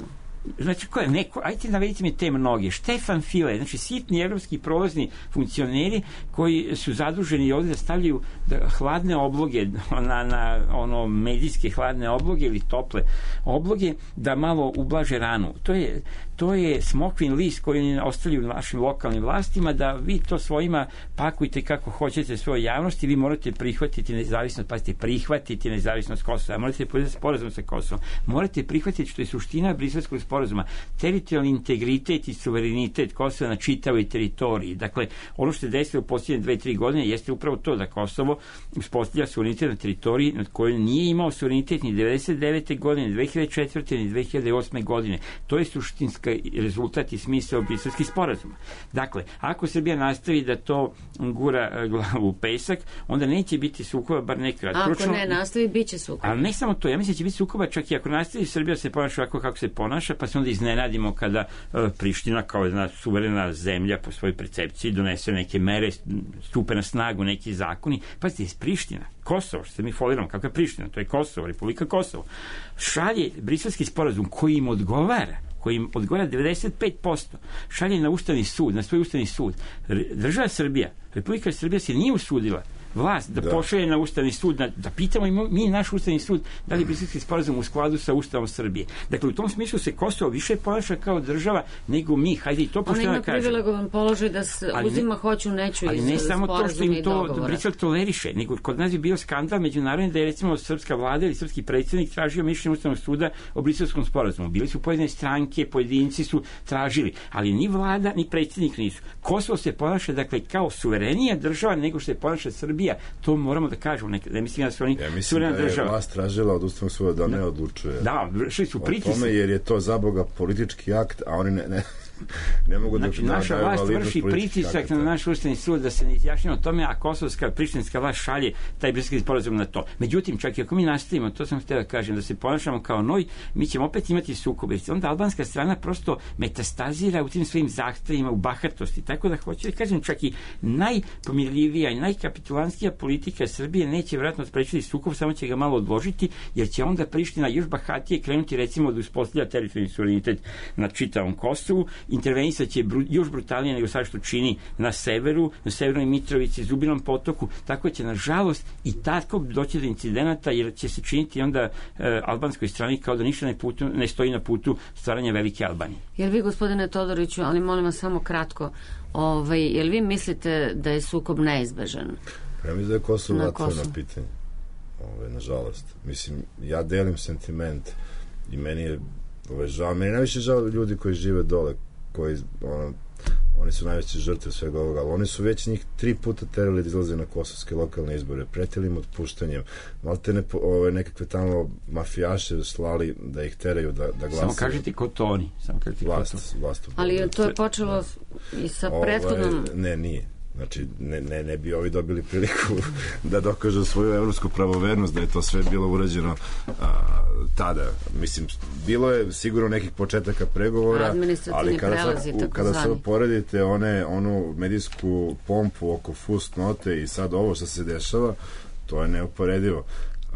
Znači, ko je neko, ajte navedite mi te mnoge. Štefan File, znači sitni evropski prolazni funkcioneri koji su zaduženi ovdje da stavljaju da, hladne obloge na, na ono medijske hladne obloge ili tople obloge da malo ublaže ranu. To je, to je smokvin list koji ostavljaju našim lokalnim vlastima da vi to svojima pakujte kako hoćete svojoj javnosti, vi morate prihvatiti nezavisnost, pazite, prihvatiti nezavisnost Kosova, morate podati sporazum sa Kosovom, morate prihvatiti što je suština Briselskog sporazuma, teritorijalni integritet i suverenitet Kosova na čitavoj teritoriji. Dakle, ono što se desilo u posljednje dve, tri godine jeste upravo to da Kosovo uspostavlja suverenitet na teritoriji nad kojoj nije imao suverenitet ni devedeset devete godine, ni dve hiljade četvrte ni dve hiljade osme godine. To je suštinska logika, rezultat i smisao briselskih sporazuma. Dakle, ako Srbija nastavi da to gura glavu u pesak, onda neće biti sukoba, bar nekad. Ako ne nastavi, bit će sukoba. Ali ne samo to, ja mislim da će biti sukoba, čak i ako nastavi Srbija se ponaša ovako kako se ponaša, pa se onda iznenadimo kada uh, Priština kao jedna suverena zemlja po svojoj percepciji donese neke mere, stupe na snagu neki zakoni. Pazite, iz Priština, Kosovo, što se mi foliramo, kakva je Priština, to je Kosovo, Republika Kosovo, šalje briselski sporazum koji im odgovara, koji im odgovara devedeset pet posto, šalje na Ustavni sud, na svoj Ustavni sud. Država Srbija, Republika Srbija se nije usudila vlast da, da. pošalje na Ustavni sud, da, da pitamo i mi naš Ustavni sud da li je briselski sporazum u skladu sa Ustavom Srbije. Dakle, u tom smislu se Kosovo više ponaša kao država nego mi. Hajde i to pošto da kažem. On ima privilegovan položaj da se uzima hoću, neću iz sporazuma i dogovora. Ali ne samo to što im to Brisel toleriše, nego kod nas je bio skandal međunarodni da je recimo srpska vlada ili srpski predsjednik tražio mišljenje Ustavnog suda o briselskom sporazumu. Bili su pojedine stranke, pojedinci su tražili, ali ni vlada ni predsjednik nisu. Kosovo se ponaša dakle kao suverenija država nego što se ponaša Srbija. To moramo da kažemo, ne, ne mislim da su oni ja mislim da je vlast tražila od Ustavnog suda da ne odlučuje da, vršili su pritisak o tome jer je to za Boga politički akt, a oni ne, ne, ne mogu znači, da naša vlast vrši pritisak akta. Na naš Ustavni sud da se ne izjašnjava o tome, a kosovska prištinska vlast šalje taj briselski sporazum na to. Međutim, čak i ako mi nastavimo, to sam htio da kažem, da se ponašamo kao noj, mi ćemo opet imati sukobe. Onda albanska strana prosto metastazira u tim svojim zahtevima, u bahatosti. Tako da hoću da kažem, čak i najpomirljivija i najkapitulanskija politika Srbije neće vjerojatno sprečiti sukob, samo će ga malo odložiti, jer će onda Priština još bahatije krenuti recimo da uspostavlja teritorijalni suverenitet na čitavom Kosovu, intervenisat će bru, još brutalnije nego sad što čini na severu, na severnoj Mitrovici, Zubinom potoku, tako će nažalost i tako doći do incidenata, jer će se činiti onda e, albanskoj strani kao da ništa ne, putu, ne stoji na putu stvaranja velike Albanije. Jel vi, gospodine Todoriću, ali molim vas samo kratko, ovaj, jel vi mislite da je sukob neizbežan? Ja mislim da je Kosovo otvoreno pitanje. Ove, nažalost. Mislim, ja delim sentiment i meni je ove, žao, meni je najviše žao ljudi koji žive dole, koji, ono, oni su najveće žrtve svega ovoga, ali oni su već njih tri puta terali da izlaze na kosovske lokalne izbore, pretili im otpuštanjem, malte ne, ove, nekakve tamo mafijaše slali da ih teraju da, da glasaju. Samo kažete ko to oni. Samo kažete vlast, ko to. Vlast, ali to je počelo i sa prethodnom... Ove, ne, nije. Znači, ne, ne, ne bi ovi dobili priliku da dokažu svoju evropsku pravovernost, da je to sve bilo urađeno a, tada. Mislim, bilo je sigurno nekih početaka pregovora, ali kada, prelazi, sad, kada se poredite one, onu medijsku pompu oko fusnote i sad ovo što se dešava, to je neuporedivo.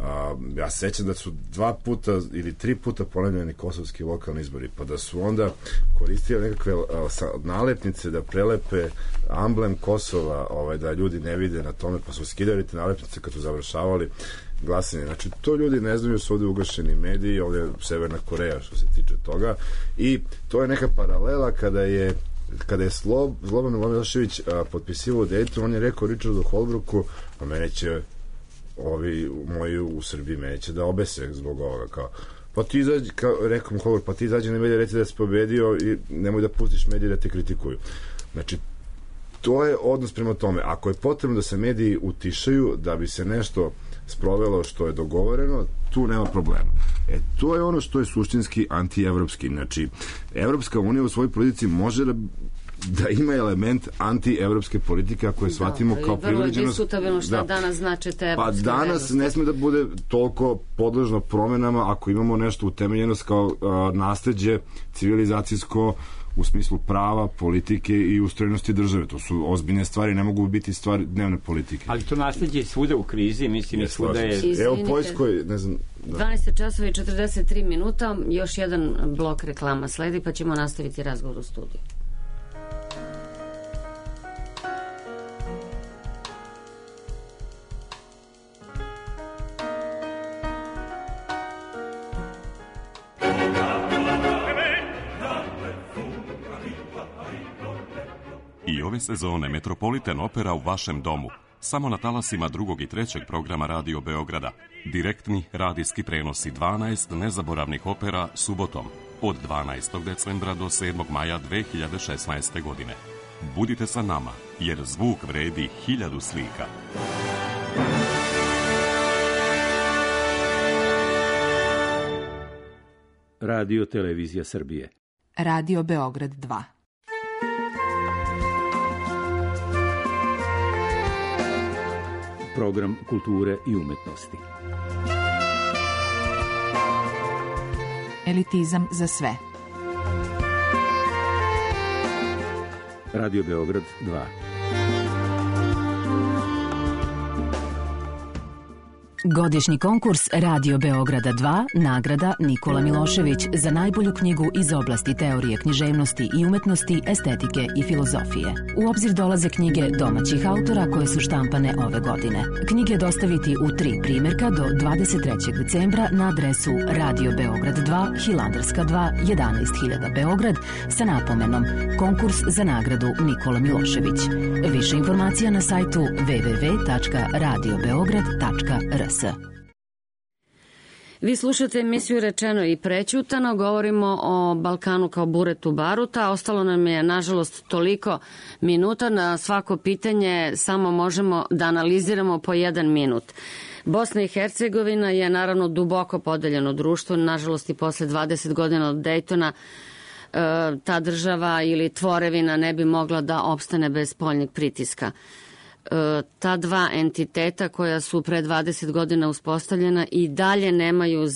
A, ja sećam da su dva puta ili tri puta ponavljani kosovski lokalni izbori, pa da su onda koristili nekakve a, sa, nalepnice da prelepe amblem Kosova, ovaj, da ljudi ne vide na tome, pa su skidali te nalepnice kad su završavali glasanje. Znači, to ljudi ne znaju, su ovdje ugašeni mediji, ovdje je Severna Koreja što se tiče toga, i to je neka paralela kada je kada je Slob, Slobodan Milošević potpisivao Dayton, on je rekao Richardu Holbrooku, a mene će ovi moji u Srbiji mene će da obese zbog ovoga, kao pa ti izađi, kao rekao mu Holbrooke, pa ti izađi na medije, reci da si pobedio i nemoj da pustiš medije da te kritikuju. Znači, to je odnos prema tome. Ako je potrebno da se mediji utišaju da bi se nešto sprovelo što je dogovoreno, tu nema problema. E, to je ono što je suštinski antievropski. Znači, Evropska unija u svojoj politici može da da ima element anti-evropske politike ako je da, shvatimo kao privileđenost. Vrlo je diskutabilno šta da. danas znači te evropske Pa danas vrednosti. Ne sme da bude toliko podložno promenama ako imamo nešto utemeljenost kao uh, nasleđe civilizacijsko u smislu prava, politike i ustrojenosti države. To su ozbiljne stvari, ne mogu biti stvari dnevne politike. Ali to nasleđe je svuda u krizi, mislim i svuda je... Izvinite. Evo u Poljskoj, ne znam... Da. dvanaest časova i četrdeset tri minuta, još jedan blok reklama sledi, pa ćemo nastaviti razgovor u studiju. I ove sezone Metropolitan Opera u vašem domu. Samo na talasima drugog i trećeg programa Radio Beograda. Direktni radijski prenosi dvanaest nezaboravnih opera subotom od dvanaestog decembra do sedmog maja dve hiljade šesnaeste. godine. Budite sa nama, jer zvuk vredi hiljadu slika. Radio Televizija Srbije. Radio Beograd dva. Program kulture i umetnosti. Elitizam za sve. Radio Beograd dva. Godišnji konkurs Radio Beograda dva, nagrada Nikola Milošević za najbolju knjigu iz oblasti teorije književnosti i umetnosti, estetike i filozofije. U obzir dolaze knjige domaćih autora koje su štampane ove godine. Knjige dostaviti u tri primjerka do dvadeset trećeg decembra na adresu Radio Beograd dva, Hilandarska dva, jedanaest hiljada Beograd sa napomenom Konkurs za nagradu Nikola Milošević. Više informacija na sajtu w w w tačka radio beograd tačka r s. Vi slušate emisiju Rečeno i prećutano, govorimo o Balkanu kao buretu baruta. Ostalo nam je, nažalost, toliko minuta. Na svako pitanje samo možemo da analiziramo po jedan minut. Bosna i Hercegovina je naravno duboko podeljeno društvo. Nažalost, i posle dvadeset godina od Dejtona ta država ili tvorevina ne bi mogla da opstane bez spoljnih pritiska. Ta dva entiteta koja su pre dvadeset godina uspostavljena i dalje nemaju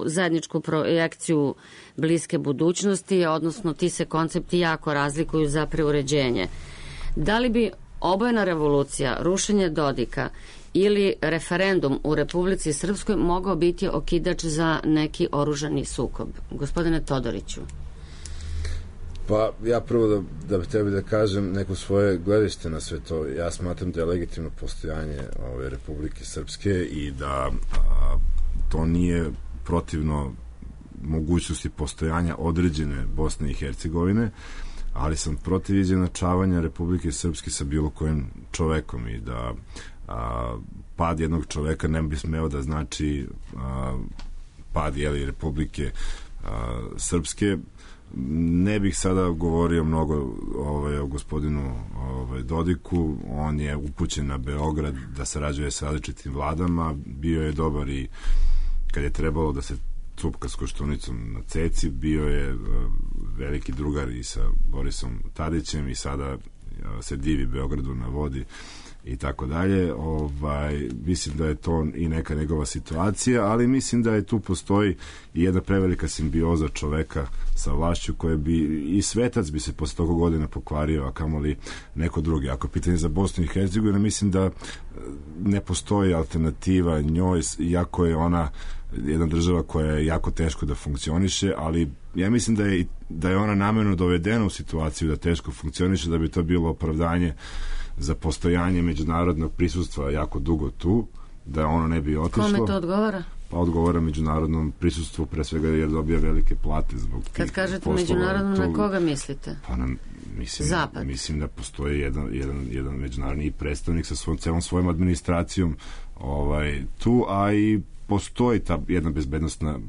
zajedničku projekciju bliske budućnosti, odnosno ti se koncepti jako razlikuju za preuređenje. Da li bi obojena revolucija, rušenje Dodika ili referendum u Republici Srpskoj mogao biti okidač za neki oružani sukob? Gospodine Todoriću. Pa ja prvo da, da bi tebi da kažem neko svoje gledište na sve to. Ja smatram da je legitimno postojanje ove Republike Srpske i da a, to nije protivno mogućnosti postojanja određene Bosne i Hercegovine, ali sam protiv izjednačavanja Republike Srpske sa bilo kojim čovekom i da a, pad jednog čoveka ne bi smeo da znači a, pad jeli, Republike a, Srpske. Ne bih sada govorio mnogo ovaj, o gospodinu ovaj, Dodiku. On je upućen na Beograd da sarađuje sa različitim vladama. Bio je dobar i kad je trebalo da se cupka s Koštunicom na ceci. Bio je uh, veliki drugar i sa Borisom Tadićem i sada uh, se divi Beogradu na vodi i tako dalje. Ovaj, mislim da je to i neka njegova situacija, ali mislim da je tu postoji i jedna prevelika simbioza čoveka sa vlašću koje bi, i svetac bi se posle toga godina pokvario, a kamoli neko drugi. Ako pitanje za Bosnu i Hercegovinu, mislim da ne postoji alternativa njoj, iako je ona jedna država koja je jako teško da funkcioniše, ali ja mislim da je, da je ona namerno dovedena u situaciju da teško funkcioniše, da bi to bilo opravdanje za postojanje međunarodnog prisustva jako dugo tu, da ono ne bi otišlo. Kome to odgovara? Pa odgovara međunarodnom prisustvu, pre svega jer dobija velike plate zbog tih Kad kažete poslova, međunarodno, to, na koga mislite? Pa na, mislim, Zapad. Mislim da postoji jedan, jedan, jedan međunarodni predstavnik sa svojom, celom svojom administracijom ovaj, tu, a i postoji ta jedna bezbednostna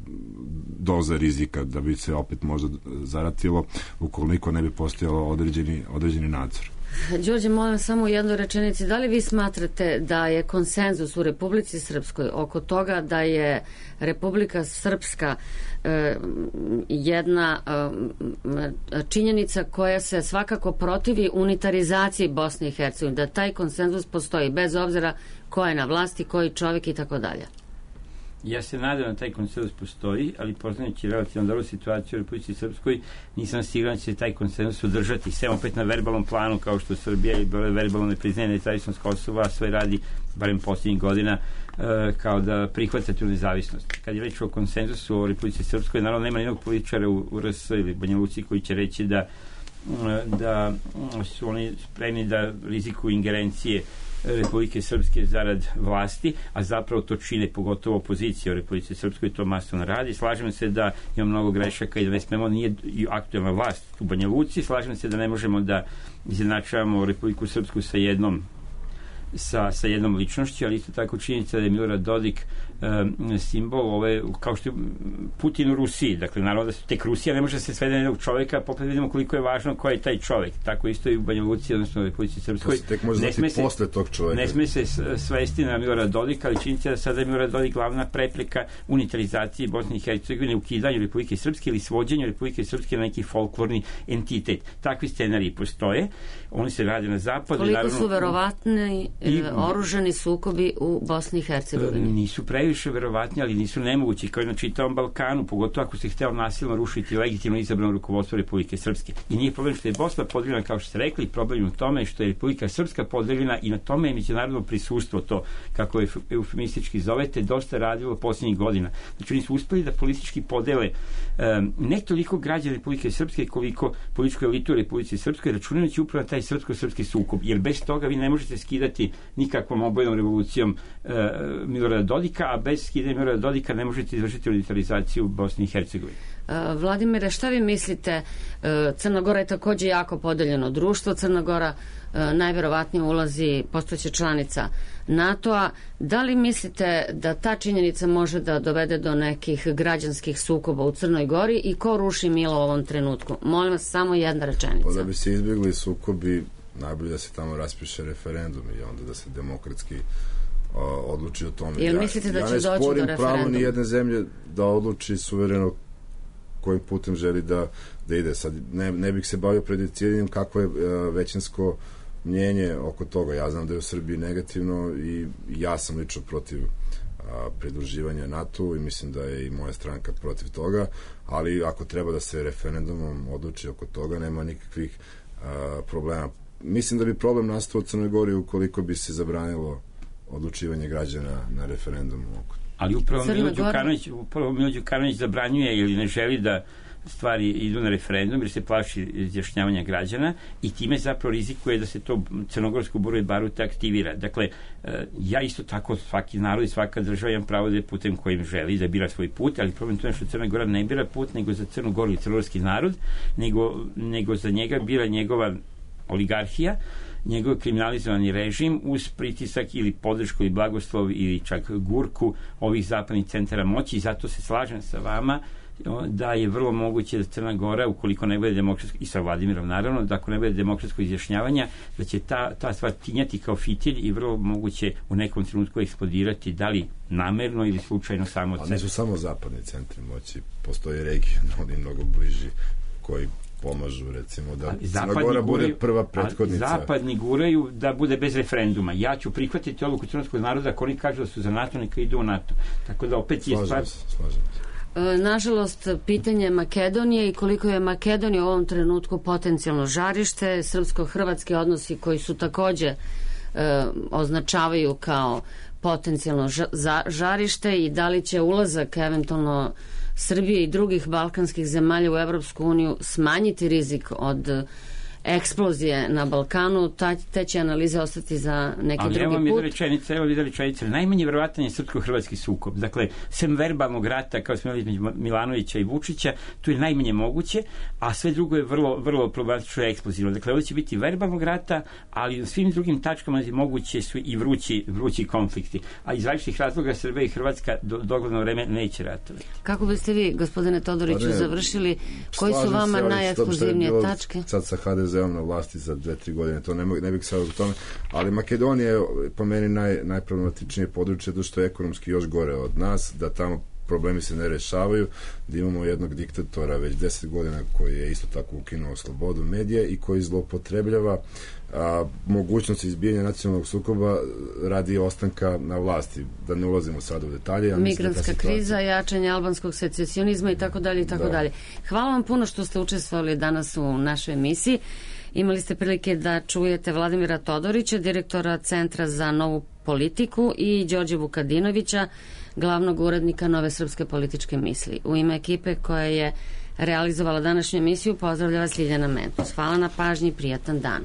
doza rizika da bi se opet možda zaratilo ukoliko ne bi postojalo određeni, određeni nadzor. Đorđe, molim samo u jednoj rečenici, da li vi smatrate da je konsenzus u Republici Srpskoj oko toga da je Republika Srpska eh, jedna eh, činjenica koja se svakako protivi unitarizaciji Bosne i Hercegovine, da taj konsenzus postoji bez obzira ko je na vlasti, koji čovjek i tako dalje? Ja se nadam da taj konsenzus postoji, ali poznajući relativno dobru situaciju u Republici Srpskoj, nisam siguran da će taj konsenzus udržati. Sve opet na verbalnom planu, kao što Srbija i verbalno ne priznaje nezavisnost Kosova, a sve radi, barem posljednjih godina, kao da prihvata tu nezavisnost. Kad je reč o konsenzusu u Republici Srpskoj, naravno nema nijednog političara u, u R S ili Banja Luci koji će reći da, da su oni spremni da rizikuju ingerencije Republike Srpske zarad vlasti, a zapravo to čine pogotovo opozicija u Republici Srpskoj, to masovno radi. Slažem se da ima mnogo grešaka i da ne smemo, nije aktualna vlast u Banja Luci, slažem se da ne možemo da izjednačavamo Republiku Srpsku sa jednom sa, sa jednom ličnošću, ali isto tako činjenica da je Milorad Dodik um, simbol ove, kao što je Putin u Rusiji, dakle naravno da su tek Rusija ne može se svede na jednog čoveka, popet vidimo koliko je važno ko je taj čovek, tako isto i u Banja Luci, odnosno u Republici Srpskoj. To se tek može znati posle tog čoveka. Ne sme se svesti na Milorad Dodik, ali činjenica da sada je Milorad Dodik glavna prepreka unitarizaciji Bosne i Hercegovine, ukidanju Republike Srpske ili svođenju Republike Srpske na neki folklorni entitet. Takvi scenariji postoje, oni se rade na zapadu. Koliko naravno, su verovatni i, oružani sukobi u Bosni i Hercegovini? Nisu previše verovatni, ali nisu nemogući, kao i na čitavom Balkanu, pogotovo ako se hteo nasilno rušiti legitimno izabrano rukovodstvo Republike Srpske. I nije problem što je Bosna podeljena, kao što ste rekli, problem je u tome što je Republika Srpska podeljena i na tome je međunarodno prisustvo, to kako je eufemistički zovete, dosta radilo posljednjih godina. Znači oni su uspeli da politički podele um, ne toliko građane Republike Srpske koliko političku elitu u Republici Srpskoj, računajući upravo na taj srpsko-srpski sukob, jer bez toga vi ne možete skidati nikakvom obojnom revolucijom uh, Milorada Dodika, a bez skidanja Milorada Dodika ne možete izvršiti unitarizaciju u Bosni i Hercegovini. Uh, Vladimire, šta vi mislite? Uh, Crna Gora je takođe jako podeljeno društvo. Crna Gora uh, najverovatnije ulazi, postojeća članica NATO-a. Da li mislite da ta činjenica može da dovede do nekih građanskih sukoba u Crnoj Gori i ko ruši Milo u ovom trenutku? Molim vas, samo jedna rečenica. Pa da bi se izbjegli sukobi, najbolje da se tamo raspiše referendum i onda da se demokratski uh, odluči o tome. Jel mislite da će doći do referenduma? Ja ne sporim pravo ni jedne zemlje da odluči suvereno kojim putem želi da, da ide. Sad ne, ne bih se bavio prediciranjem kako je uh, većinsko mnjenje oko toga. Ja znam da je u Srbiji negativno i ja sam lično protiv a, pridruživanja NATO i mislim da je i moja stranka protiv toga, ali ako treba da se referendumom odluči oko toga, nema nikakvih a, problema. Mislim da bi problem nastao u Crnoj Gori ukoliko bi se zabranilo odlučivanje građana na referendumu. Ali upravo Milo Đukanović, upravo Milo Đukanović zabranjuje ili ne želi da stvari idu na referendum jer se plaši izjašnjavanja građana i time zapravo rizikuje da se to crnogorsko bure baruta aktivira. Dakle, ja isto tako, svaki narod i svaka država ima pravo da je putem kojim želi da bira svoj put, ali problem to je što Crna Gora ne bira put nego za Crnu Goru i crnogorski narod, nego, nego za njega bira njegova oligarhija, njegov kriminalizovani režim uz pritisak ili podršku ili blagoslov ili čak gurku ovih zapadnih centara moći i zato se slažem sa vama da je vrlo moguće da Crna Gora, ukoliko ne bude demokratsko, i sa Vladimirom naravno, da ako ne bude demokratsko izjašnjavanja, da će ta, ta stvar tinjati kao fitilj i vrlo moguće u nekom trenutku eksplodirati, da li namerno ili slučajno samo od sebe. A nisu samo zapadni centri moći, postoje regionalni mnogo bliži koji pomažu, recimo, da Crna Gora bude prva prethodnica. Zapadni guraju da bude bez referenduma. Ja ću prihvatiti odluku crnogorskog naroda ako oni kažu da su za NATO, neka idu u NATO. Tako da opet je stvar... Slažem se. Nažalost, pitanje Makedonije i koliko je Makedonija u ovom trenutku potencijalno žarište, srpsko-hrvatski odnosi koji su takođe e, označavaju kao potencijalno žarište i da li će ulazak eventualno Srbije i drugih balkanskih zemalja u Evropsku uniju smanjiti rizik od eksplozije na Balkanu, ta, te će analize ostati za neki ali drugi put. Ali evo mi rečenice, evo mi rečenice. Najmanje verovatno je srpsko-hrvatski sukob. Dakle, sem verbalnog rata, kao smo imali između Milanovića i Vučića, tu je najmanje moguće, a sve drugo je vrlo, vrlo problematično i eksplozivno. Dakle, ovo će biti verbalnog rata, ali u svim drugim tačkama moguće su i vrući, vrući konflikti. A iz različitih razloga Srbija i Hrvatska do dogledno vreme neće ratovati. Kako biste vi, gospodine Todoriću, završili? Koji su vama najekskluzivnije tačke? Sad sa ha de ze na vlasti za dve, tri godine, to ne, ne bih sad u tome, ali Makedonija je po meni naj, najproblematičnije područje, zato što je ekonomski još gore od nas, da tamo problemi se ne rešavaju, da imamo jednog diktatora već deset godina koji je isto tako ukinuo slobodu medija i koji zloupotrebljava a, mogućnost izbijanja nacionalnog sukoba radi ostanka na vlasti. Da ne ulazimo sad u detalje. Ja Migrantska da situacija... kriza, jačanje albanskog secesionizma i tako dalje i tako dalje. Hvala vam puno što ste učestvovali danas u našoj emisiji. Imali ste prilike da čujete Vladimira Todorića, direktora Centra za novu politiku i Đorđe Vukadinovića, glavnog urednika Nove srpske političke misli. U ime ekipe koja je realizovala današnju emisiju pozdravlja vas Ljiljana Mentus. Hvala na pažnji i prijatan dan.